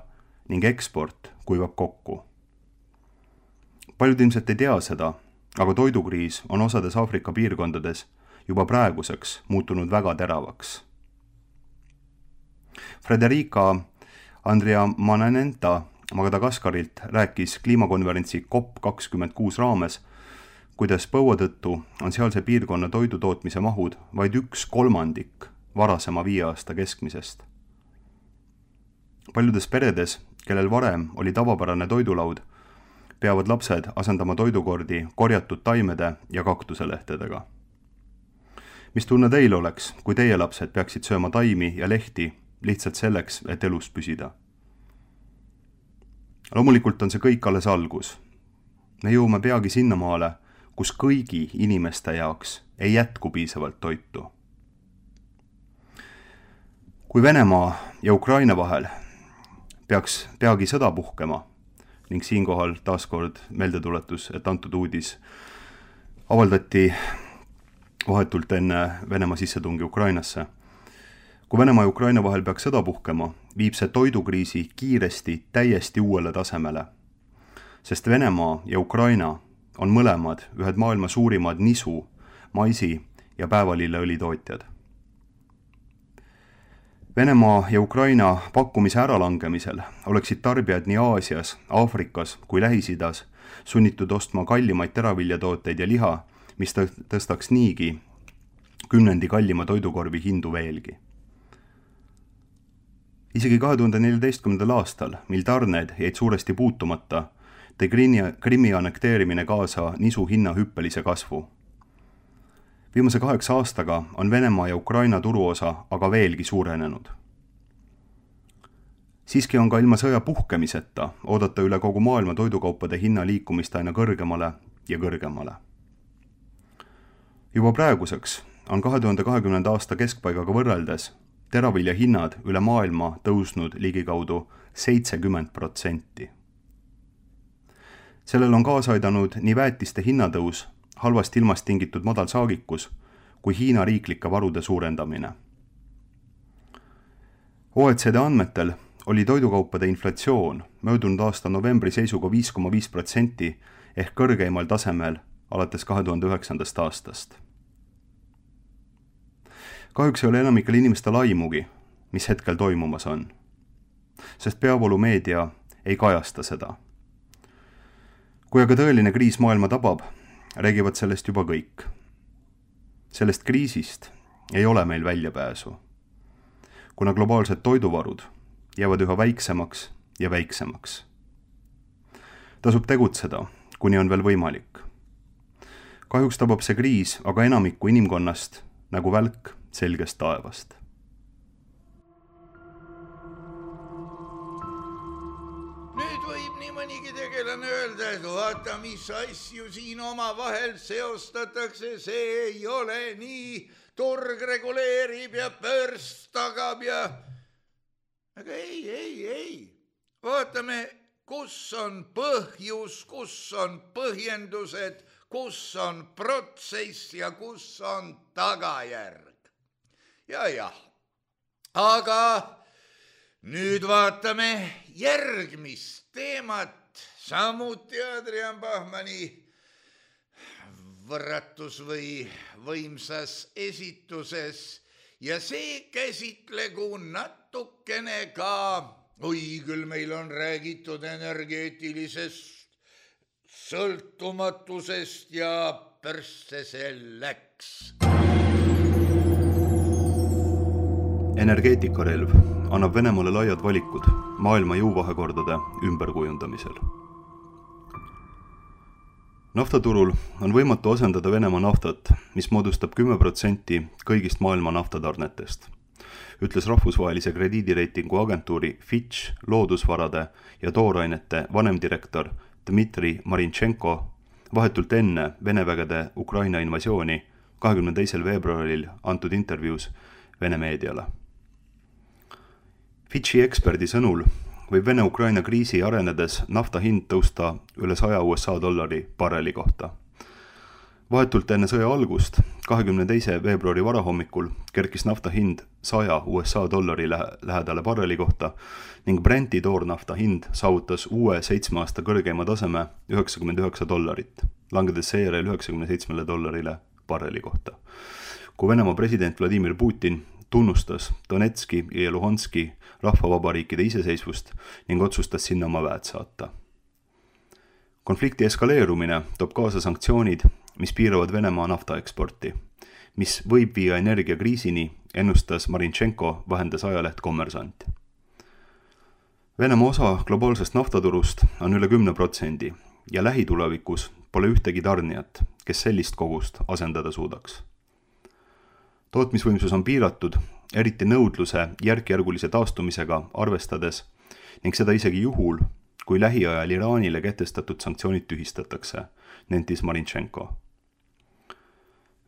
ning eksport kuivab kokku. Paljud ilmselt ei tea seda, aga toidukriis on osades Aafrika piirkondades juba praeguseks muutunud väga teravaks. Frederica Andriamanenta Madagaskarilt rääkis kliimakonverentsi COP26 raames, kuidas põua tõttu on sealse piirkonna toidutootmise mahud vaid 1/3 varasema 5 aasta keskmisest. Paljudes peredes, kellel varem oli tavapärane toidulaud, peavad lapsed asendama toidukordi korjatud taimede ja kaktuselehtedega. Mis tunne teil oleks, kui teie lapsed peaksid sööma taimi ja lehti lihtsalt selleks, et elus püsida? Loomulikult on see kõik alles algus. Me jõuame peagi sinnamaale, kus kõigi inimeste jaoks ei jätku piisavalt toitu. Kui Venemaa ja Ukraina vahel peaks peagi sõda puhkema, ning siinkohal taaskord meeldetuletus, et antud uudis avaldati vahetult enne Venemaa sissetungi Ukrainasse. Kui Venemaa ja Ukraina vahel peaks sõda puhkema, viib see toidukriisi kiiresti täiesti uuele tasemele, sest Venemaa ja Ukraina on mõlemad ühed maailma suurimad nisu, maisi ja päevalilleõli tootjad. Venemaa ja Ukraina pakkumise äralangemisel oleksid tarbijad nii Aasias, Aafrikas kui Lähis-Idas sunnitud ostma kallimaid teraviljatooteid ja liha, mis tõstaks niigi 10 kallima toidukorvi hindu veelgi. Isegi 2014. aastal, mil tarned jäid suuresti puutumata tõi Krimmi annekteerimine kaasa nisu hinna hüppelise kasvu. Viimase 8 aastaga on Venemaa ja Ukraina turuosa aga veelgi suurenenud. Siiski on ka ilma sõja puhkemiseta oodata üle kogu maailma toidukaupade hinna liikumist aina kõrgemale ja kõrgemale. Juba praeguseks on 2020. aasta keskpaigaga võrreldes teravilja hinnad üle maailma tõusnud ligikaudu 70%. Sellel on kaasa aidanud nii väetiste hinnatõus, halvast ilmast tingitud madal saagikus kui Hiina riiklike varude suurendamine. OECD andmetel oli toidukaupade inflatsioon möödunud aasta novembri seisuga 5,5% ehk kõrgeimal tasemel alates 2009. aastast. Kahjuks ei ole enamikel inimestel aimugi, mis hetkel toimumas on, sest peavoolumeedia ei kajasta seda. Kui aga tõeline kriis maailma tabab, räägivad sellest juba kõik. Sellest kriisist ei ole meil väljapääsu, kuna globaalsed toiduvarud jäävad üha väiksemaks ja väiksemaks. Tasub tegutseda, kuni on veel võimalik. Kahjuks tabab see kriis aga enamikku inimkonnast nagu välk selgest taevast. Nüüd võib nii mõnigi tegelane öelda, et vaata, mis asju siin omavahel seostatakse, see ei ole nii, turg reguleerib ja börs tagab ja... Aga ei. Vaatame, kus on põhjus, kus on põhjendused, kus on protsess ja kus on tagajärg. Ja. Aga nüüd vaatame järgmist teemat, samuti Adrian Bachmanni võrratus või võimsas esituses. Ja see käsitlegu natukene ka, küll meil on räägitud energeetilisest sõltumatusest ja pörsse see läks. Energeetikarelv annab Venemaale laiad valikud maailma jõuvahekordade ümberkujundamisel. Naftaturul on võimatu asendada Venemaa naftat, mis moodustab 10% kõigist maailma naftatarnetest, ütles rahvusvahelise krediidireitingu agentuuri Fitch loodusvarade ja toorainete vanemdirektor Dmitri Marinchenko vahetult enne Vene vägede Ukraina invasiooni 22. veebruaril antud intervjuus Vene meediale. Fitchi eksperdi sõnul võib Vene-Ukraina kriisi arenedes nafta hind tõusta üle $100 barreli kohta. Vahetult enne sõja algust, 22. veebruari varahommikul, kerkis nafta hind $100 lähedale barreli kohta ning Brenti toornafta hind saavutas uue 7 aasta kõrgeima taseme $99, langedes seejärel $97 barreli kohta. Kui Venemaa president Vladimir Putin tunnustas Donetski ja Luhanski rahvavabariikide iseseisvust ning otsustas sinna oma väed saata. Konflikti eskaleerumine toob kaasa sanktsioonid, mis piiravad Venemaa naftaeksporti, mis võib viia energiakriisini, ennustas Marinchenko, vahendas ajaleht Kommersant. Venemaa osa globaalsest naftaturust on üle 10% ja lähitulevikus pole ühtegi tarnijat, kes sellist kogust asendada suudaks. Tootmisvõimsus on piiratud, eriti nõudluse järkjärgulise taastumisega arvestades ning seda isegi juhul, kui lähiajal Iraanile kehtestatud sanktsioonid tühistatakse, nentis Marinchenko.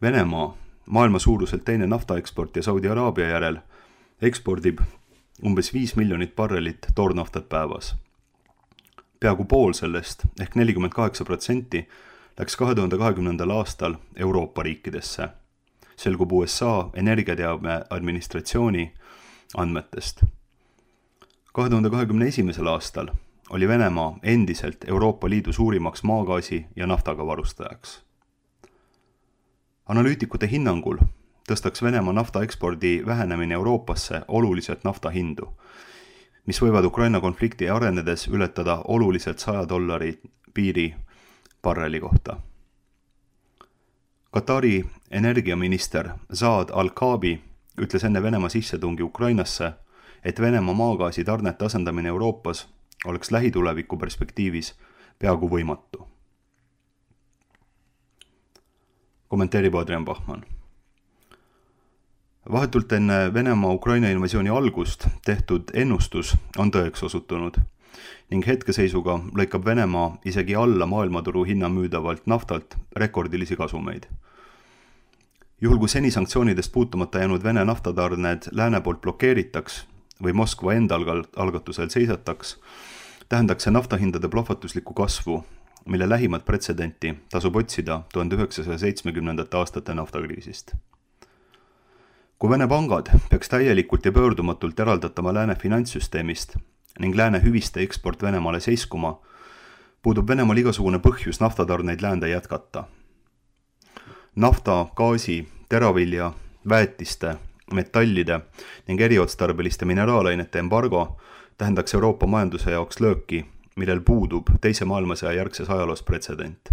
Venemaa, maailma suuruselt teine naftaeksport ja Saudi Araabia järel, ekspordib umbes 5 miljonit barrelit toornaftat päevas. Peaaegu pool sellest ehk 48% läks 2020. aastal Euroopa riikidesse. Selgub USA energiateabe administratsiooni andmetest. 2021. aastal oli Venemaa endiselt Euroopa Liidu suurimaks maagaasi ja naftaga varustajaks. Analüütikute hinnangul tõstaks Venemaa naftaekspordi vähenemine Euroopasse oluliselt nafta hindu, mis võivad Ukraina konflikti arenedes ületada oluliselt $100 piiri barreli kohta. Katari energiaminister Saad Al-Kaabi ütles enne Venemaa sissetungi Ukrainasse, et Venemaa maagaasi tarnete asendamine Euroopas oleks lähituleviku perspektiivis peaaegu võimatu. Kommenteerib Adrian Bachmann. Vahetult enne Venemaa Ukraina invasiooni algust tehtud ennustus on tõeks osutunud ning hetkeseisuga lõikab Venemaa isegi alla maailmaturu hinna müüdavalt naftalt rekordilisi kasumeid. Juhul kui seni sanktsioonidest puutumata jäänud Vene naftatarned lääne poolt blokeeritaks või Moskva enda algatusel seisataks, tähendaks see naftahindade plahvatuslikku kasvu, mille lähimat pretsedenti tasub otsida 1970. aastate naftakriisist. Kui Vene pangad peaks täielikult ja pöördumatult eraldatama lääne finantssüsteemist ning lääne hüviste eksport Venemaale seiskuma, puudub Venemaal igasugune põhjus naftatarneid läände jätkata. Nafta, gaasi, teravilja, väetiste, metallide ning eriotstarbeliste mineraalainete embargo tähendaks Euroopa majanduse jaoks lööki, millel puudub teise maailmasõja järgses ajaloos pretsedent.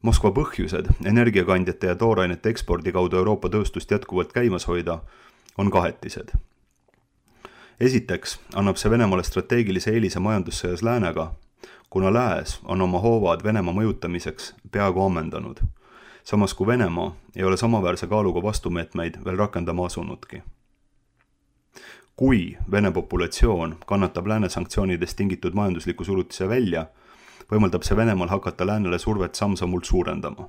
Moskva põhjused energiakandjate ja toorainete ekspordi kaudu Euroopa tööstust jätkuvalt käimas hoida on kahetised. Esiteks annab see Venemaale strateegilise eelise majandussõjas läänega, kuna lääs on oma hoovad Venemaa mõjutamiseks peaaegu ammendanud, samas kui Venemaa ei ole samaväärse kaaluga vastumeetmeid veel rakendama asunudki. Kui Vene populatsioon kannatab lääne sanktsioonidest tingitud majandusliku surutise välja, võimaldab see Venemaal hakata läänele survet samm-sammult suurendama.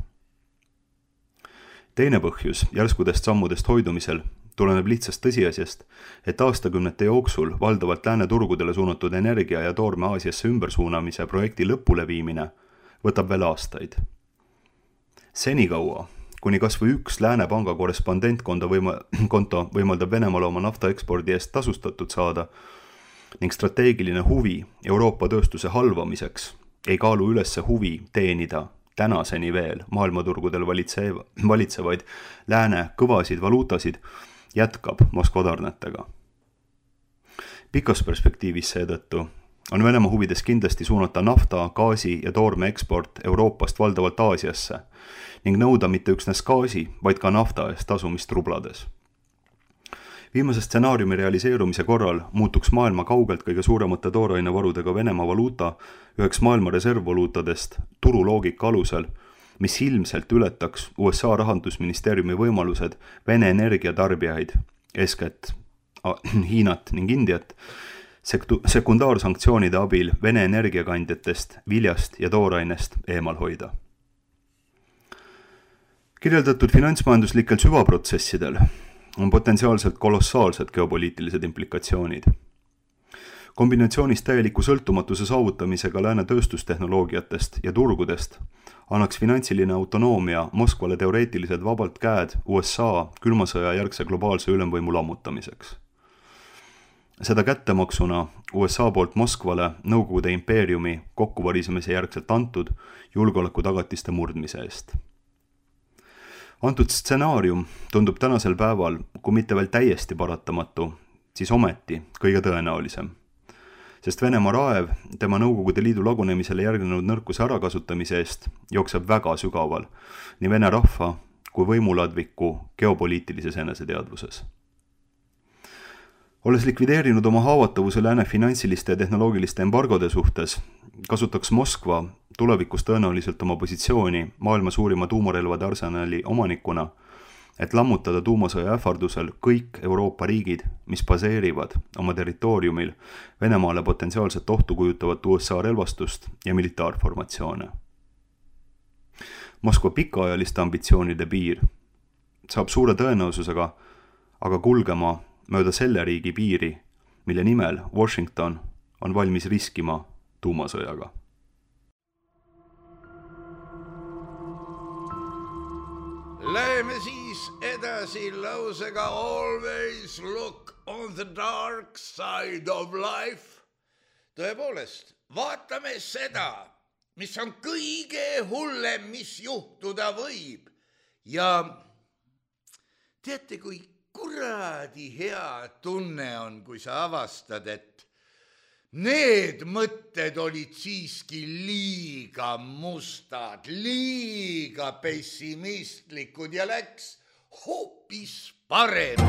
Teine põhjus järskudest sammudest hoidumisel tuleneb lihtsast tõsiasjast, et aastakümnete jooksul valdavalt lääne turgudele suunatud energia ja toorme Aasiasse ümbersuunamise projekti lõpuleviimine võtab veel aastaid. Senikaua, kuni kas või üks lääne panga korrespondentkonto võimaldab Venemaale oma naftaekspordi eest tasustatud saada ning strateegiline huvi Euroopa tööstuse halvamiseks ei kaalu üles huvi teenida tänaseni veel maailmaturgudel valitsevaid lääne kõvasid valuutasid, jätkab Moskva tarnetega. Pikas perspektiivis seetõttu on Venemaa huvides kindlasti suunata nafta, gaasi ja toorme eksport Euroopast valdavalt Aasiasse ning nõuda mitte üksnes gaasi, vaid ka nafta eest tasumist rublades. Viimase stsenaariumi realiseerumise korral muutuks maailma kaugelt kõige suuremate toorainevarudega Venemaa valuuta üheks maailma reservvaluutadest turuloogika alusel, mis ilmselt ületaks USA rahandusministeeriumi võimalused Vene energiatarbijaid, eeskätt Hiinat ning Indiat, sekundaarsanktsioonide abil Vene energiakandjatest, viljast ja toorainest eemal hoida. Kirjeldatud finantsmajanduslikel süvaprotsessidel on potentsiaalselt kolossaalsed geopoliitilised implikatsioonid. Kombinatsioonis täieliku sõltumatuse saavutamisega lääne tööstustehnoloogiatest ja turgudest annaks finantsiline autonoomia Moskvale teoreetiliselt vabalt käed USA külmasõja järgse globaalse ülemvõimu lammutamiseks. Seda kättemaksuna USA poolt Moskvale Nõukogude impeeriumi kokkuvarisemise järgselt antud julgeolekutagatiste murdmise eest. Antud stsenaarium tundub tänasel päeval, kui mitte veel täiesti paratamatu, siis ometi kõige tõenäolisem. Sest Venemaa raev tema Nõukogude Liidu lagunemisele järgnenud nõrkuse ärakasutamise eest jookseb väga sügaval nii Vene rahva kui võimuladviku geopoliitilises eneseteadvuses. Olles likvideerinud oma haavatavuse lääne finantsiliste ja tehnoloogiliste embargode suhtes, kasutaks Moskva tulevikus tõenäoliselt oma positsiooni maailma suurima tuumarelvade arsenali omanikuna, et lammutada tuumasõja ähvardusel kõik Euroopa riigid, mis baseerivad oma territooriumil Venemaale potentsiaalset ohtu kujutavat USA relvastust ja militaarformatsioone. Moskva pikaajaliste ambitsioonide piir saab suure tõenäosusega aga kulgema mööda selle riigi piiri, mille nimel Washington on valmis riskima tuumasõjaga. Läheme siis edasi lausega always look on the dark side of life. Tõepoolest, vaatame seda, mis on kõige hullem, mis juhtuda võib. Ja teate, kui kuradi hea tunne on, kui sa avastad, et need mõtted olid siiski liiga mustad, liiga pessimistlikud ja läks hoopis parem.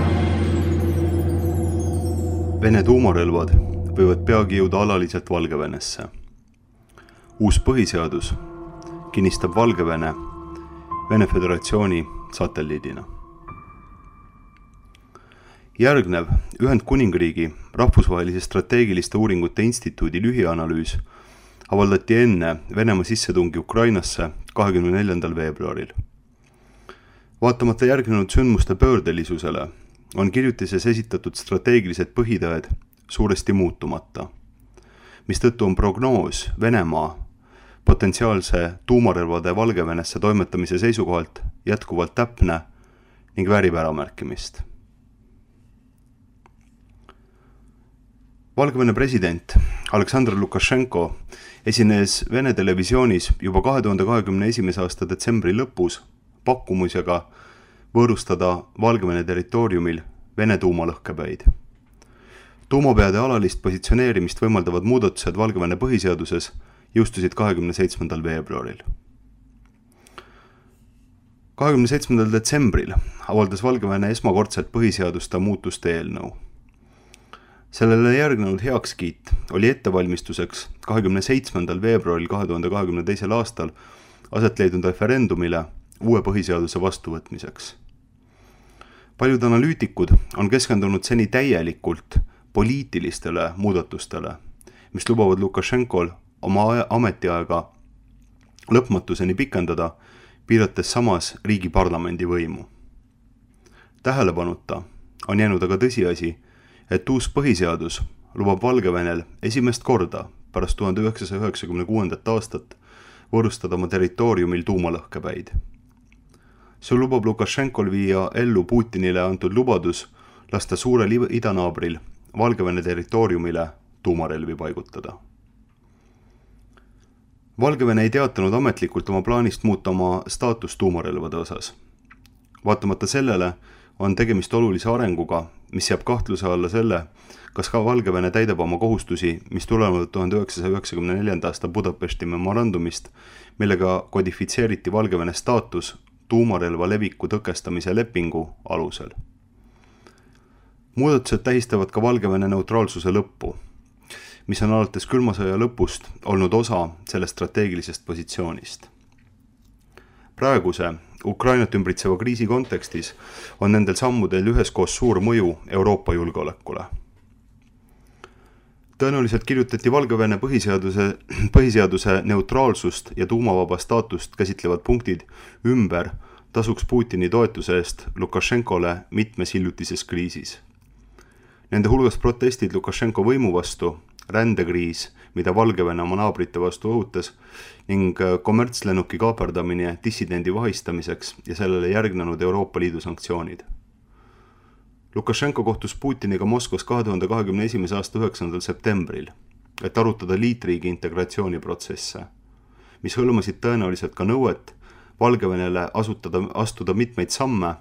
Vene tuumarelvad võivad peagi jõuda alaliselt Valgevenesse. Uus põhiseadus kinnistab Valgevene Vene Föderatsiooni satelliidina. Järgnev Ühendkuningriigi rahvusvahelise strateegiliste uuringute instituudi lühianalüüs avaldati enne Venemaa sissetungi Ukrainasse 24. veebruaril. Vaatamata järgnenud sündmuste pöördelisusele on kirjutises esitatud strateegilised põhitõed suuresti muutumata, mistõttu on prognoos Venemaa potentsiaalse tuumarelvade Valgevenesse toimetamise seisukohalt jätkuvalt täpne ning väärib äramärkimist. Valgevene president Aleksandr Lukašenko esines Vene televisioonis juba 2021. aasta detsembri lõpus pakkumusega võõrustada Valgevene territooriumil Vene tuumalõhkepäid. Tuumapeade alalist positsioneerimist võimaldavad muudatused Valgevene põhiseaduses jõustusid 27. veebruaril. 27. detsembril avaldas Valgevene esmakordselt põhiseaduste muutuste eelnõu. Sellele järgnenud heakskiit oli ettevalmistuseks 27. veebruaril 2022. aastal aset leidnud referendumile uue põhiseaduse vastuvõtmiseks. Paljud analüütikud on keskendunud seni täielikult poliitilistele muudatustele, mis lubavad Lukašenkol oma ametiaega lõpmatuseni pikendada, piirates samas riigi parlamendi võimu. Tähelepanuta on jäänud aga tõsiasi, et uus põhiseadus lubab Valgevenel esimest korda pärast 1996. aastat võõrustada oma territooriumil tuumalõhkepäid. See lubab Lukašenkol viia ellu Putinile antud lubadus lasta suurel idanaabril Valgevene territooriumile tuumarelvi paigutada. Valgevene ei teatanud ametlikult oma plaanist muuta oma staatus tuumarelvade osas. Vaatamata sellele on tegemist olulise arenguga, mis jääb kahtluse alla selle, kas ka Valgevene täidab oma kohustusi, mis tulevad 1994. aasta Budapesti memorandumist, millega kodifitseeriti Valgevene staatus tuumarelva leviku tõkestamise lepingu alusel. Muudatused tähistavad ka Valgevene neutraalsuse lõppu, mis on alates külma sõja lõpust olnud osa sellest strateegilisest positsioonist. Praeguse Ukrainat ümbritseva kriisi kontekstis on nendel sammudel üheskoos suur mõju Euroopa julgeolekule. Tõenäoliselt kirjutati Valgevene põhiseaduse neutraalsust ja tuumavaba staatust käsitlevad punktid ümber tasuks Putini toetuse eest Lukašenkole mitmes hiljutises kriisis. Nende hulgas protestid Lukašenko võimu vastu, rändekriis, mida Valgevene oma naabrite vastu õhutas, ning kommertslennuki kaaperdamine dissidendi vahistamiseks ja sellele järgnenud Euroopa Liidu sanktsioonid. Lukašenko kohtus Putiniga Moskvas 2021. aasta 9. septembril, et arutada liitriigi integratsiooniprotsesse, mis hõlmasid tõenäoliselt ka nõuet Valgevenele astuda mitmeid samme,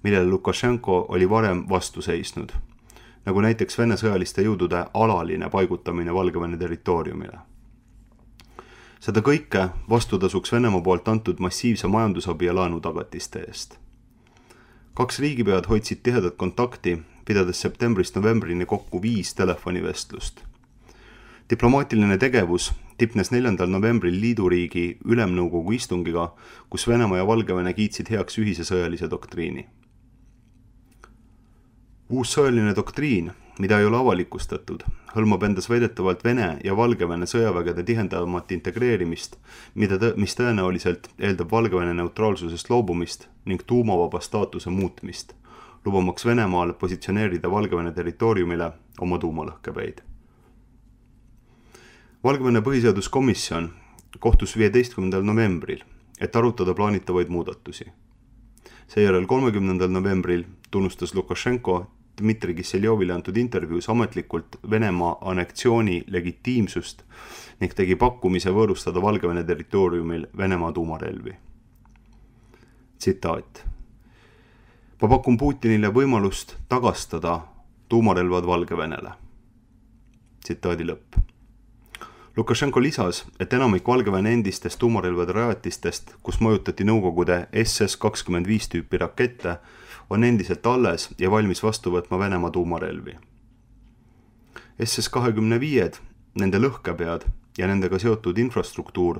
millele Lukašenko oli varem vastu seisnud, nagu näiteks Vene sõjaliste jõudude alaline paigutamine Valgevene territooriumile. Seda kõike vastutasuks Venemaa poolt antud massiivse majandusabi ja laenutagatiste eest. 2 riigipead hoidsid tihedat kontakti, pidades septembrist novembrini kokku 5 telefonivestlust. Diplomaatiline tegevus tipnes 4. novembril liiduriigi ülemnõukogu istungiga, kus Venemaa ja Valgevene kiitsid heaks ühise sõjalise doktriini. Uus sõjaline doktriin, mida ei ole avalikustatud, hõlmab endas väidetavalt Vene ja Valgevene sõjavägede tihendamat integreerimist, mis tõenäoliselt eeldab Valgevene neutraalsusest loobumist ning tuumavaba staatuse muutmist, lubamaks Venemaal positsioneerida Valgevene territooriumile oma tuumalõhkepäid. Valgevene põhiseaduskomisjon kohtus 15. novembril, et arutada plaanitavaid muudatusi. Seejärel 30. novembril tunnustas Lukašenko Dmitri Kisseljovile antud intervjuus ametlikult Venemaa annektsiooni legitiimsust ning tegi pakkumise võõrustada Valgevene territooriumil Venemaa tuumarelvi. Tsitaat. Ma pakun Putinile võimalust tagastada tuumarelvad Valgevenele. Tsitaadi lõpp. Lukašenko lisas, et enamik Valgevene endistest tuumarelvade rajatistest, kus mõjutati Nõukogude SS-25 tüüpi rakette, on endiselt alles ja valmis vastu võtma Venemaa tuumarelvi. SS-25, nende lõhkepead ja nendega seotud infrastruktuur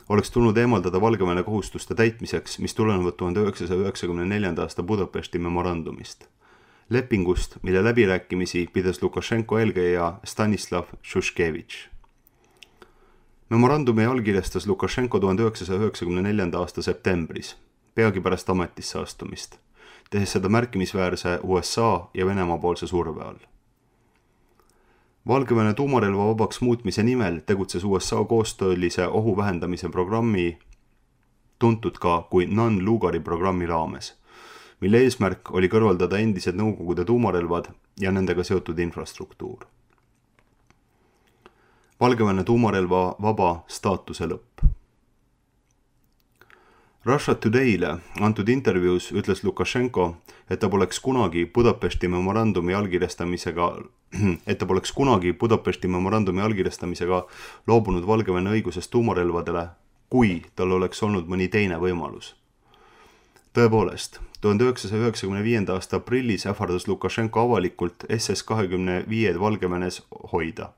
oleks tulnud eemaldada Valgevene kohustuste täitmiseks, mis tulenevad 1994. aasta Budapesti memorandumist. Lepingust, mille läbirääkimisi pidas Lukašenko eelkäija Stanislav Šuškevitš. Memorandumi allkirjastas Lukašenko 1994. aasta septembris, peagi pärast ametisse astumist, tehes seda märkimisväärse USA ja Venemaa poolse surve all. Valgevene tuumarelva vabaks muutmise nimel tegutses USA koostöölise ohu vähendamise programmi, tuntud ka kui Non-Lugari programmi raames, mille eesmärk oli kõrvaldada endised Nõukogude tuumarelvad ja nendega seotud infrastruktuur. Valgevene tuumarelva vaba staatuse lõpp. Russia Today'le antud intervjuus ütles Lukašenko, et ta poleks kunagi Budapesti memorandumi allkirjastamisega loobunud Valgevene õigusest tuumarelvadele, kui tal oleks olnud mõni teine võimalus. Tõepoolest, 1995. aasta aprillis ähvardas Lukašenko avalikult SS-25 Valgevenes hoida.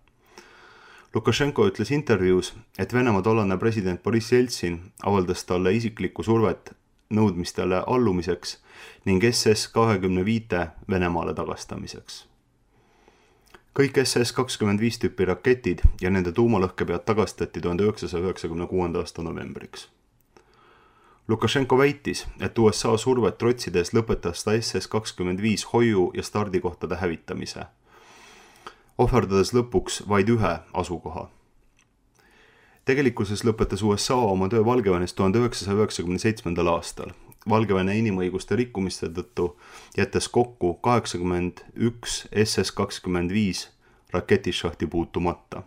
Lukašenko ütles intervjuus, et Venemaa tollane president Boris Jeltsin avaldas talle isiklikku survet nõudmistele allumiseks ning SS-25 Venemaale tagastamiseks. Kõik SS-25 tüüpi raketid ja nende tuumalõhkepead tagastati 1996. aasta novembriks. Lukašenko väitis, et USA survet trotsides lõpetas ta SS-25 hoiu- ja stardikohtade hävitamise, ohverdades lõpuks vaid ühe asukoha. Tegelikkuses lõpetas USA oma töö Valgevenes 1997. aastal, Valgevene inimõiguste rikkumiste tõttu jättes kokku 81 SS-25 raketišahti puutumata.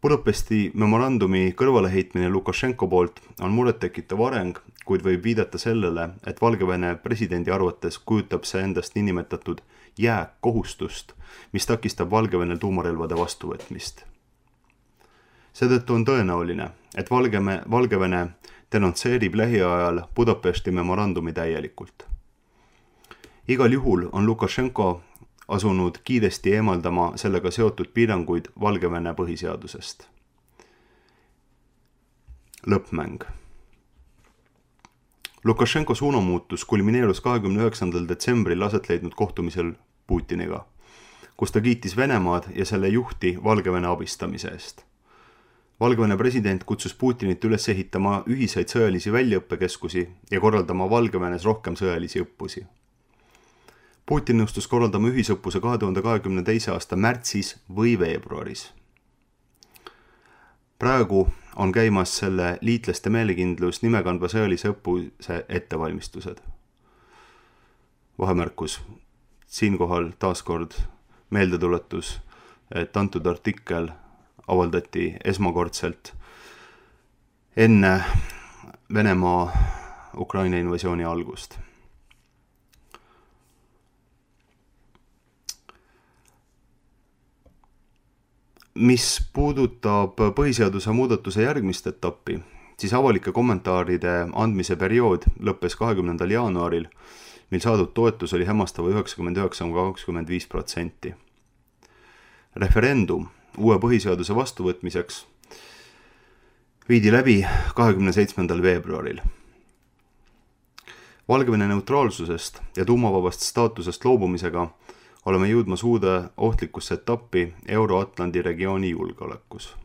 Budapesti memorandumi kõrvaleheitmine Lukašenko poolt on murettekitav areng, kuid võib viidata sellele, et Valgevene presidendi arvates kujutab see endast niinimetatud jääkohustust, mis takistab Valgevenel tuumarelvade vastuvõtmist. Seetõttu on tõenäoline, et Valgevene denonsseerib lähiajal Budapesti memorandumi täielikult. Igal juhul on Lukašenko asunud kiiresti eemaldama sellega seotud piiranguid Valgevene põhiseadusest. Lõppmäng. Lukašenko suunamuutus kulmineerus 29. detsembril aset leidnud kohtumisel Putiniga, kus ta kiitis Venemaad ja selle juhti Valgevene abistamise eest. Valgevene president kutsus Putinit üles ehitama ühiseid sõjalisi väljaõppekeskusi ja korraldama Valgevenes rohkem sõjalisi õppusi. Putin nõustus korraldama ühisõppuse 2022. aasta märtsis või veebruaris. Praegu on käimas selle liitlaste meelekindlus nimekandva sõjalise õppuse ettevalmistused. Vahemärkus. Siinkohal taaskord meeldetuletus, et antud artikkel avaldati esmakordselt enne Venemaa Ukraina invasiooni algust. Mis puudutab põhiseaduse muudatuse järgmist etappi, siis avalike kommentaaride andmise periood lõppes 20. jaanuaril, mil saadud toetus oli hämmastava 99,25%. Referendum uue põhiseaduse vastuvõtmiseks viidi läbi 27. veebruaril. Valgevene neutraalsusest ja tuumavabast staatusest loobumisega oleme jõudmas uude ohtlikusse etappi Euro-Atlandi regiooni julgeolekus.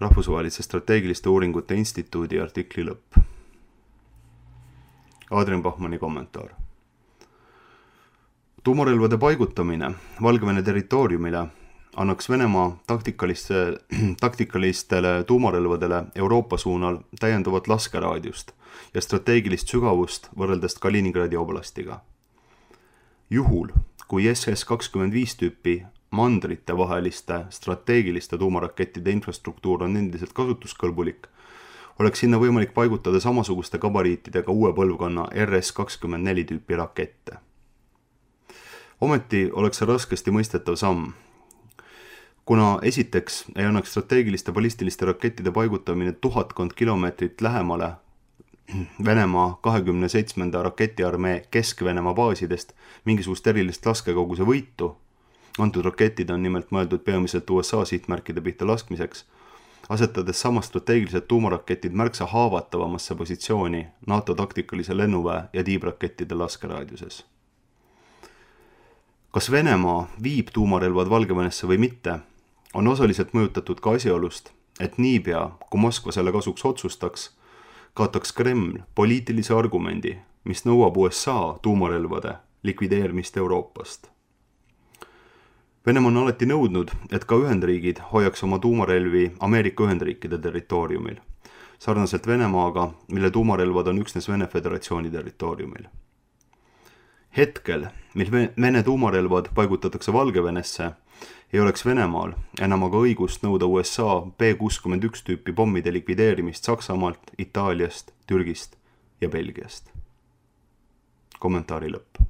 Rahvusvahelise strateegiliste uuringute instituudi artikli lõpp. Adrian Bachmanni kommentaar. Tuumarelvade paigutamine Valgevene territooriumile annaks Venemaa taktikalistele tuumarelvadele Euroopa suunal täiendavat laskeraadiust ja strateegilist sügavust võrreldes Kaliningradi oblastiga. Juhul, kui SS-25 tüüpi mandrite vaheliste strateegiliste tuumarakettide infrastruktuur on endiselt kasutuskõlbulik, oleks sinna võimalik paigutada samasuguste gabariitidega uue põlvkonna RS-24 tüüpi rakette. Ometi oleks see raskesti mõistetav samm, kuna esiteks ei annaks strateegiliste ballistiliste rakettide paigutamine 1000 kilomeetrit lähemale Venemaa 27. raketiarmee Kesk-Venemaa baasidest mingisugust erilist laskekoguse võitu Antud raketid on nimelt mõeldud peamiselt USA sihtmärkide pihta laskmiseks, asetades sama strateegilised tuumaraketid märksa haavatavamasse positsiooni NATO taktikalise lennuväe ja tiibrakettide laskeraadiuses. Kas Venemaa viib tuumarelvad Valgevenesse või mitte, on osaliselt mõjutatud ka asjaolust, et niipea, kui Moskva selle kasuks otsustaks, kaotaks Kreml poliitilise argumendi, mis nõuab USA tuumarelvade likvideerimist Euroopast. Venemaa on alati nõudnud, et ka Ühendriigid hoiaks oma tuumarelvi Ameerika Ühendriikide territooriumil, sarnaselt Venemaaga, mille tuumarelvad on üksnes Vene Föderatsiooni territooriumil. Hetkel, mil Vene tuumarelvad paigutatakse Valgevenesse, ei oleks Venemaal enam aga õigust nõuda USA B-61 tüüpi pommide likvideerimist Saksamaalt, Itaaliast, Türgist ja Belgiast. Kommentaari lõpp.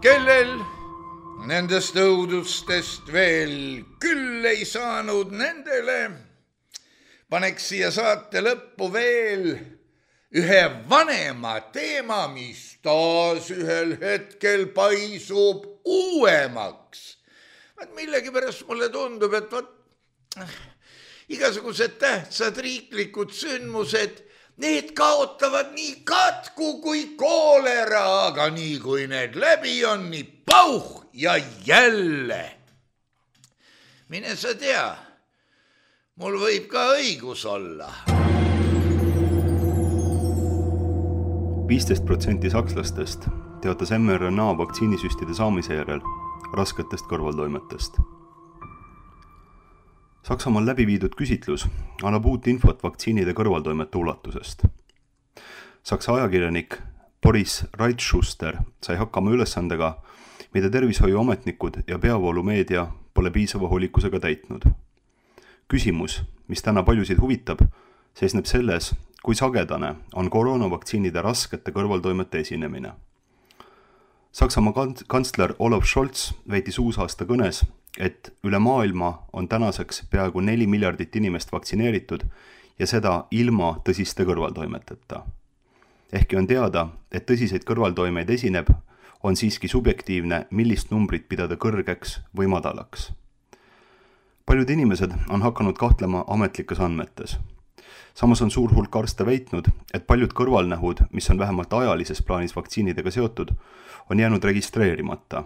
Kellel nendest õudustest veel küll ei saanud, nendele paneks siia saate lõppu veel ühe vanema teema, mis taas ühel hetkel paisub uuemaks. Millegipärast mulle tundub, et igasugused tähtsad riiklikud sündmused, need kaotavad nii katku kui koolera, aga nii kui need läbi on, nii pauh ja jälle. Mine sa tea, mul võib ka õigus olla. 15% sakslastest teatas mRNA vaktsiinisüstide saamise järel rasketest kõrvaltoimetest. Saksamaal läbi viidud küsitlus annab uut infot vaktsiinide kõrvaltoimete ulatusest. Saksa ajakirjanik Boris Reitschuster sai hakkama ülesandega, mida tervishoiuametnikud ja peavoolumeedia pole piisava hoolikkusega täitnud. Küsimus, mis täna paljusid huvitab, seisneb selles, kui sagedane on koroonavaktsiinide raskete kõrvaltoimete esinemine. Saksamaa kantsler Olaf Scholz väitis uusaasta kõnes, et üle maailma on tänaseks peaaegu 4 miljardit inimest vaktsineeritud ja seda ilma tõsiste kõrvaltoimeteta. Ehkki on teada, et tõsiseid kõrvaltoimeid esineb, on siiski subjektiivne, millist numbrit pidada kõrgeks või madalaks. Paljud inimesed on hakanud kahtlema ametlikes andmetes. Samas on suur hulk arste väitnud, et paljud kõrvalnähud, mis on vähemalt ajalises plaanis vaktsiinidega seotud, on jäänud registreerimata,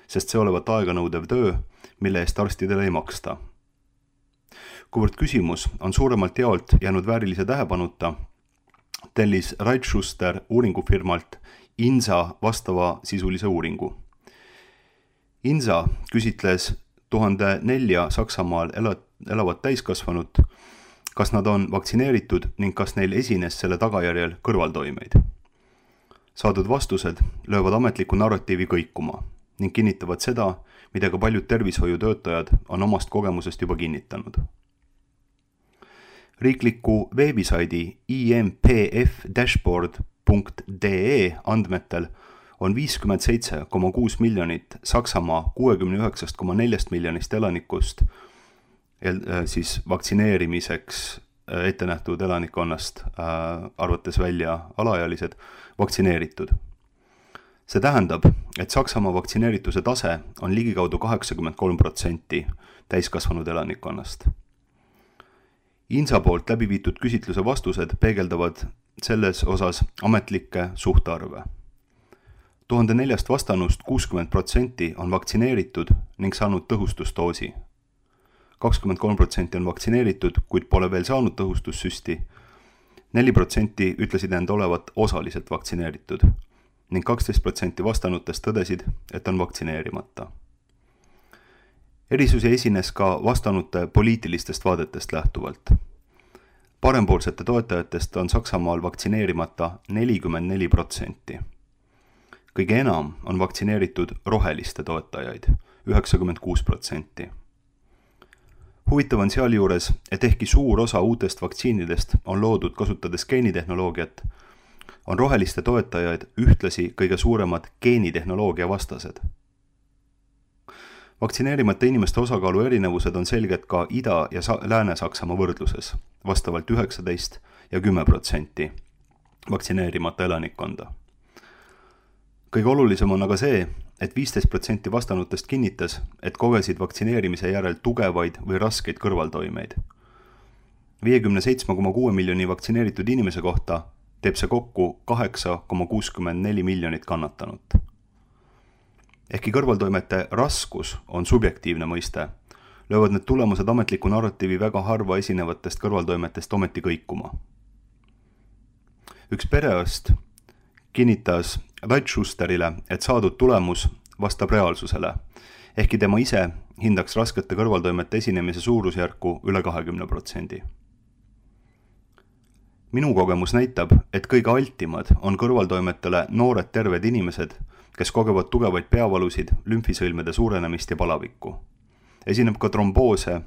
sest see olevat aeganõudev töö, mille eest arstidele ei maksta. Kuivõrd küsimus on suuremalt jaolt jäänud väärilise tähepanuta, tellis Reitschuster uuringufirmalt INSA vastava sisulise uuringu. INSA küsitles 1004 Saksamaal elavat täiskasvanut, kas nad on vaktsineeritud ning kas neil esines selle tagajärjel kõrvaltoimeid. Saadud vastused löövad ametliku narratiivi kõikuma ning kinnitavad seda, mida ka paljud tervishoiutöötajad on omast kogemusest juba kinnitanud. Riikliku veebisaidi impf-dashboard.de andmetel on 57,6 miljonit Saksamaa 69,4 miljonist elanikust siis vaktsineerimiseks ette nähtud elanikkonnast, arvates välja alaealised, vaktsineeritud. See tähendab, et Saksamaa vaktsineerituse tase on ligikaudu 83% täiskasvanud elanikkonnast. INSA poolt läbi viidud küsitluse vastused peegeldavad selles osas ametlikke suhtarve. 1004 vastanust 60% on vaktsineeritud ning saanud tõhustusdoosi. 23% on vaktsineeritud, kuid pole veel saanud tõhustussüsti. 4% ütlesid end olevat osaliselt vaktsineeritud ning 12% vastanutest tõdesid, et on vaktsineerimata. Erisusi esines ka vastanute poliitilistest vaadetest lähtuvalt. Parempoolsete toetajatest on Saksamaal vaktsineerimata 44%. Kõige enam on vaktsineeritud roheliste toetajaid, 96%. Huvitav on sealjuures, et ehkki suur osa uutest vaktsiinidest on loodud kasutades geenitehnoloogiat, on roheliste toetajaid ühtlasi kõige suuremad geenitehnoloogia vastased. Vaktsineerimata inimeste osakaalu erinevused on selged ka Ida- ja Lääne-Saksamaa võrdluses, vastavalt 19% ja 10% vaktsineerimata elanikkonda. Kõige olulisem on aga see, et 15% vastanutest kinnitas, et kogesid vaktsineerimise järel tugevaid või raskeid kõrvaltoimeid. 57,6 miljoni vaktsineeritud inimese kohta teeb see kokku 8,64 miljonit kannatanut. Ehkki kõrvaltoimete raskus on subjektiivne mõiste, löövad need tulemused ametliku narratiivi väga harva esinevatest kõrvaltoimetest ometi kõikuma. Üks perearst kinnitas Rait Schusterile, et saadud tulemus vastab reaalsusele, ehkki tema ise hindaks raskete kõrvaltoimete esinemise suurusjärku üle 20%. Minu kogemus näitab, et kõige altimad on kõrvaltoimetele noored terved inimesed, kes kogevad tugevaid peavalusid, lümfisõlmede suurenemist ja palavikku. Esineb ka tromboose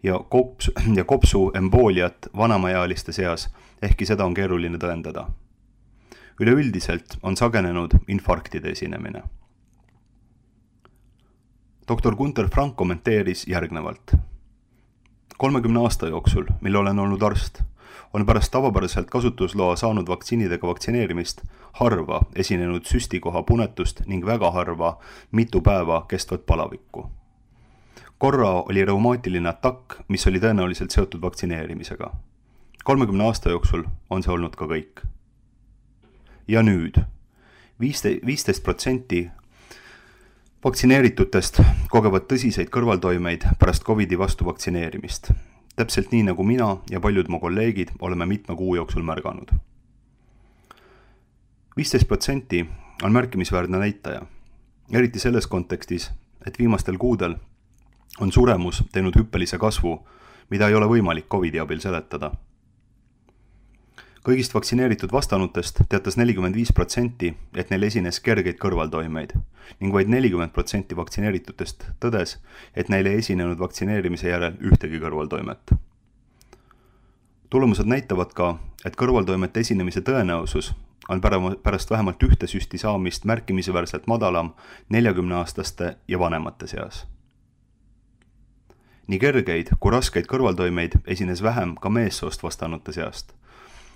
ja kopsuembooliat vanemaealiste seas, ehkki seda on keeruline tõendada. Üleüldiselt on sagenenud infarktide esinemine. Dr. Gunther Frank kommenteeris järgnevalt. 30 aasta jooksul, mil olen olnud arst, on pärast tavapäraselt kasutusloa saanud vaktsiinidega vaktsineerimist harva esinenud süstikoha punetust ning väga harva mitu päeva kestvat palavikku. Korra oli reumaatiline atakk, mis oli tõenäoliselt seotud vaktsineerimisega. 30 aasta jooksul on see olnud ka kõik. Ja nüüd 15% vaktsineeritutest kogevad tõsiseid kõrvaltoimeid pärast COVID-i vastu vaktsineerimist. Täpselt nii nagu mina ja paljud mu kolleegid oleme mitme kuu jooksul märganud. 15% on märkimisväärne näitaja, eriti selles kontekstis, et viimastel kuudel on suremus teinud hüppelise kasvu, mida ei ole võimalik COVID-i abil seletada. Kõigist vaktsineeritud vastanutest teatas 45%, et neil esines kergeid kõrvaltoimeid ning vaid 40% vaktsineeritutest tõdes, et neil ei esinenud vaktsineerimise järel ühtegi kõrvaltoimet. Tulemused näitavad ka, et kõrvaltoimete esinemise tõenäosus on pärast vähemalt ühte süsti saamist märkimisväärselt madalam 40-aastaste ja vanemate seas. Nii kergeid kui raskeid kõrvaltoimeid esines vähem ka meessoost vastanute seast,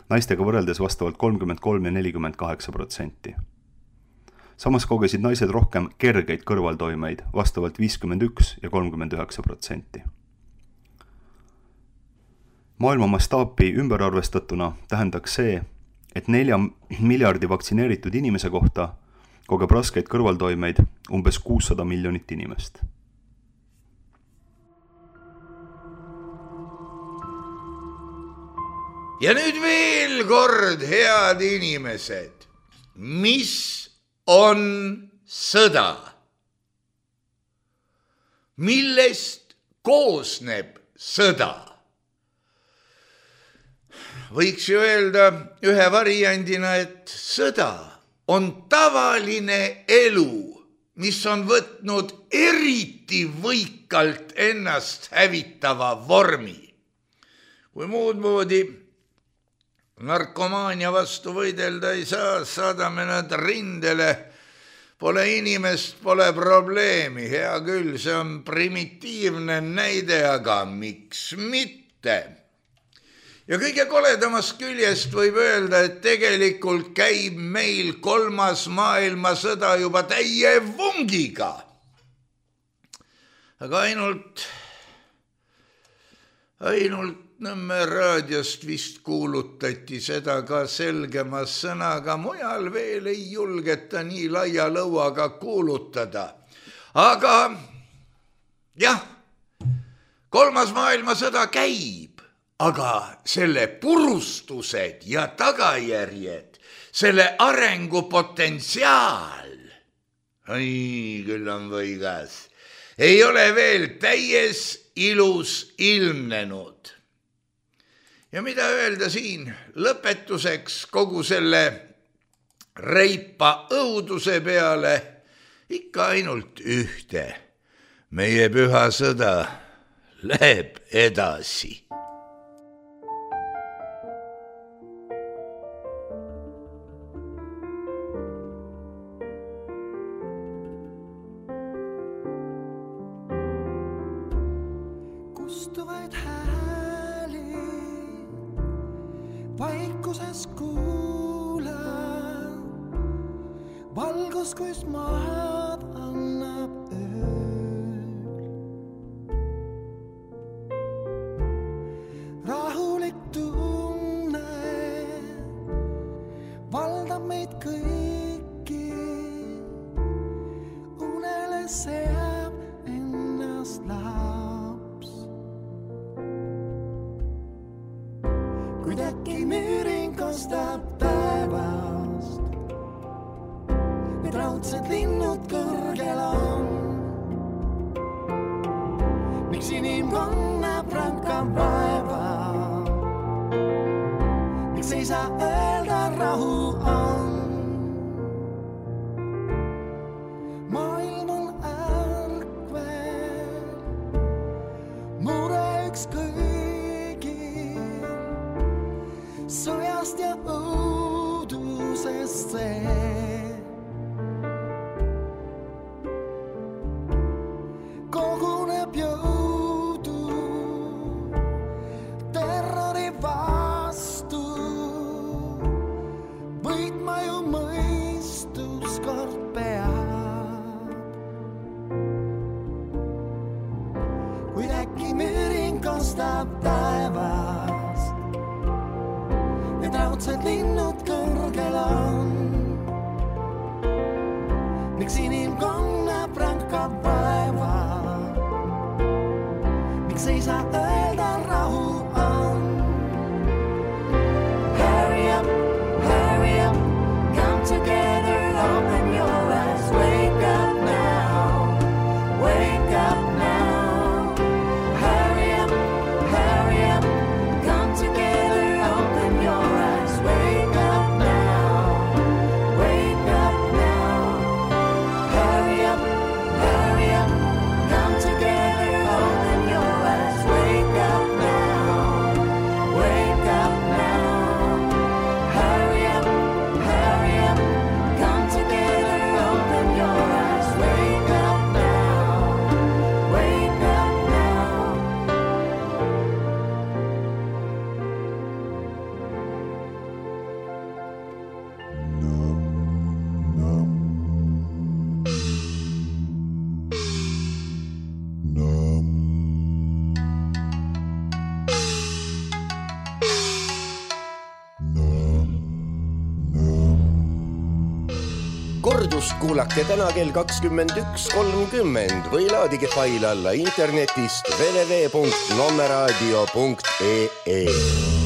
naistega võrreldes vastavalt 33 ja 48%. Samas kogesid naised rohkem kergeid kõrvaltoimeid vastavalt 51 ja 39%. Maailma mastaapi ümberarvestatuna tähendaks see, et 4 miljardi vaktsineeritud inimese kohta kogeb raskeid kõrvaltoimeid umbes 600 miljonit inimest. Ja nüüd veel kord, head inimesed, mis on sõda? Millest koosneb sõda? Võiks ju öelda ühe variandina, et sõda on tavaline elu, mis on võtnud eriti võikalt ennast hävitava vormi. Kui muud moodi narkomaania vastu võidelda ei saa, saadame nad rindele. Pole inimest, pole probleemi. Hea küll, see on primitiivne näide, aga miks mitte? Ja kõige koledamast küljest võib öelda, et tegelikult käib meil 3. maailmasõda juba täie vungiga. Aga ainult Nõmme raadiost vist kuulutati seda ka selgema sõnaga, mujal veel ei julgeta nii laia lõuaga kuulutada. Aga jah, 3. maailmasõda käib, aga selle purustused ja tagajärjed, selle arengupotentsiaal, küll on võigas, ei ole veel täies ilus ilmnenud. Ja mida öelda siin lõpetuseks kogu selle reipa õuduse peale? Ikka ainult ühte. Meie püha sõda läheb edasi. Kustuvaid hääli vaikuses kuula, valgus kus maad annab ööl. Rahulik tunne valdab meid kõiki, unele seab ennast laps. Kuid äkki müüring kostab taevast, need raudsed linnud kõrgel on. Miks inimkonna prankab vaeva, miks ei saa öelda rahu on. Maailm on ärkvel, mure üks kõigil, sõjast ja õudusest see. Koguneb jõudu terrori vastu, võitma ju mõistus kord peab. Kuid äkki müüring kostab taevast, need raudsed linnud kõrgel on. Miks inimkonna prankab vaeva, miks ei saa öelda rahu on. Hurry up, come together, open your eyes, wake up now, wake up now. Hurry up, come together, open your eyes, wake up now, wake up now. Hurry up, come together, open your eyes, wake up now, wake up now. Hurry up, come together, open your eyes, wake up now, wake up now. Kordust kuulake täna kell 21.30 või laadige fail alla internetist www.nommeradio.ee.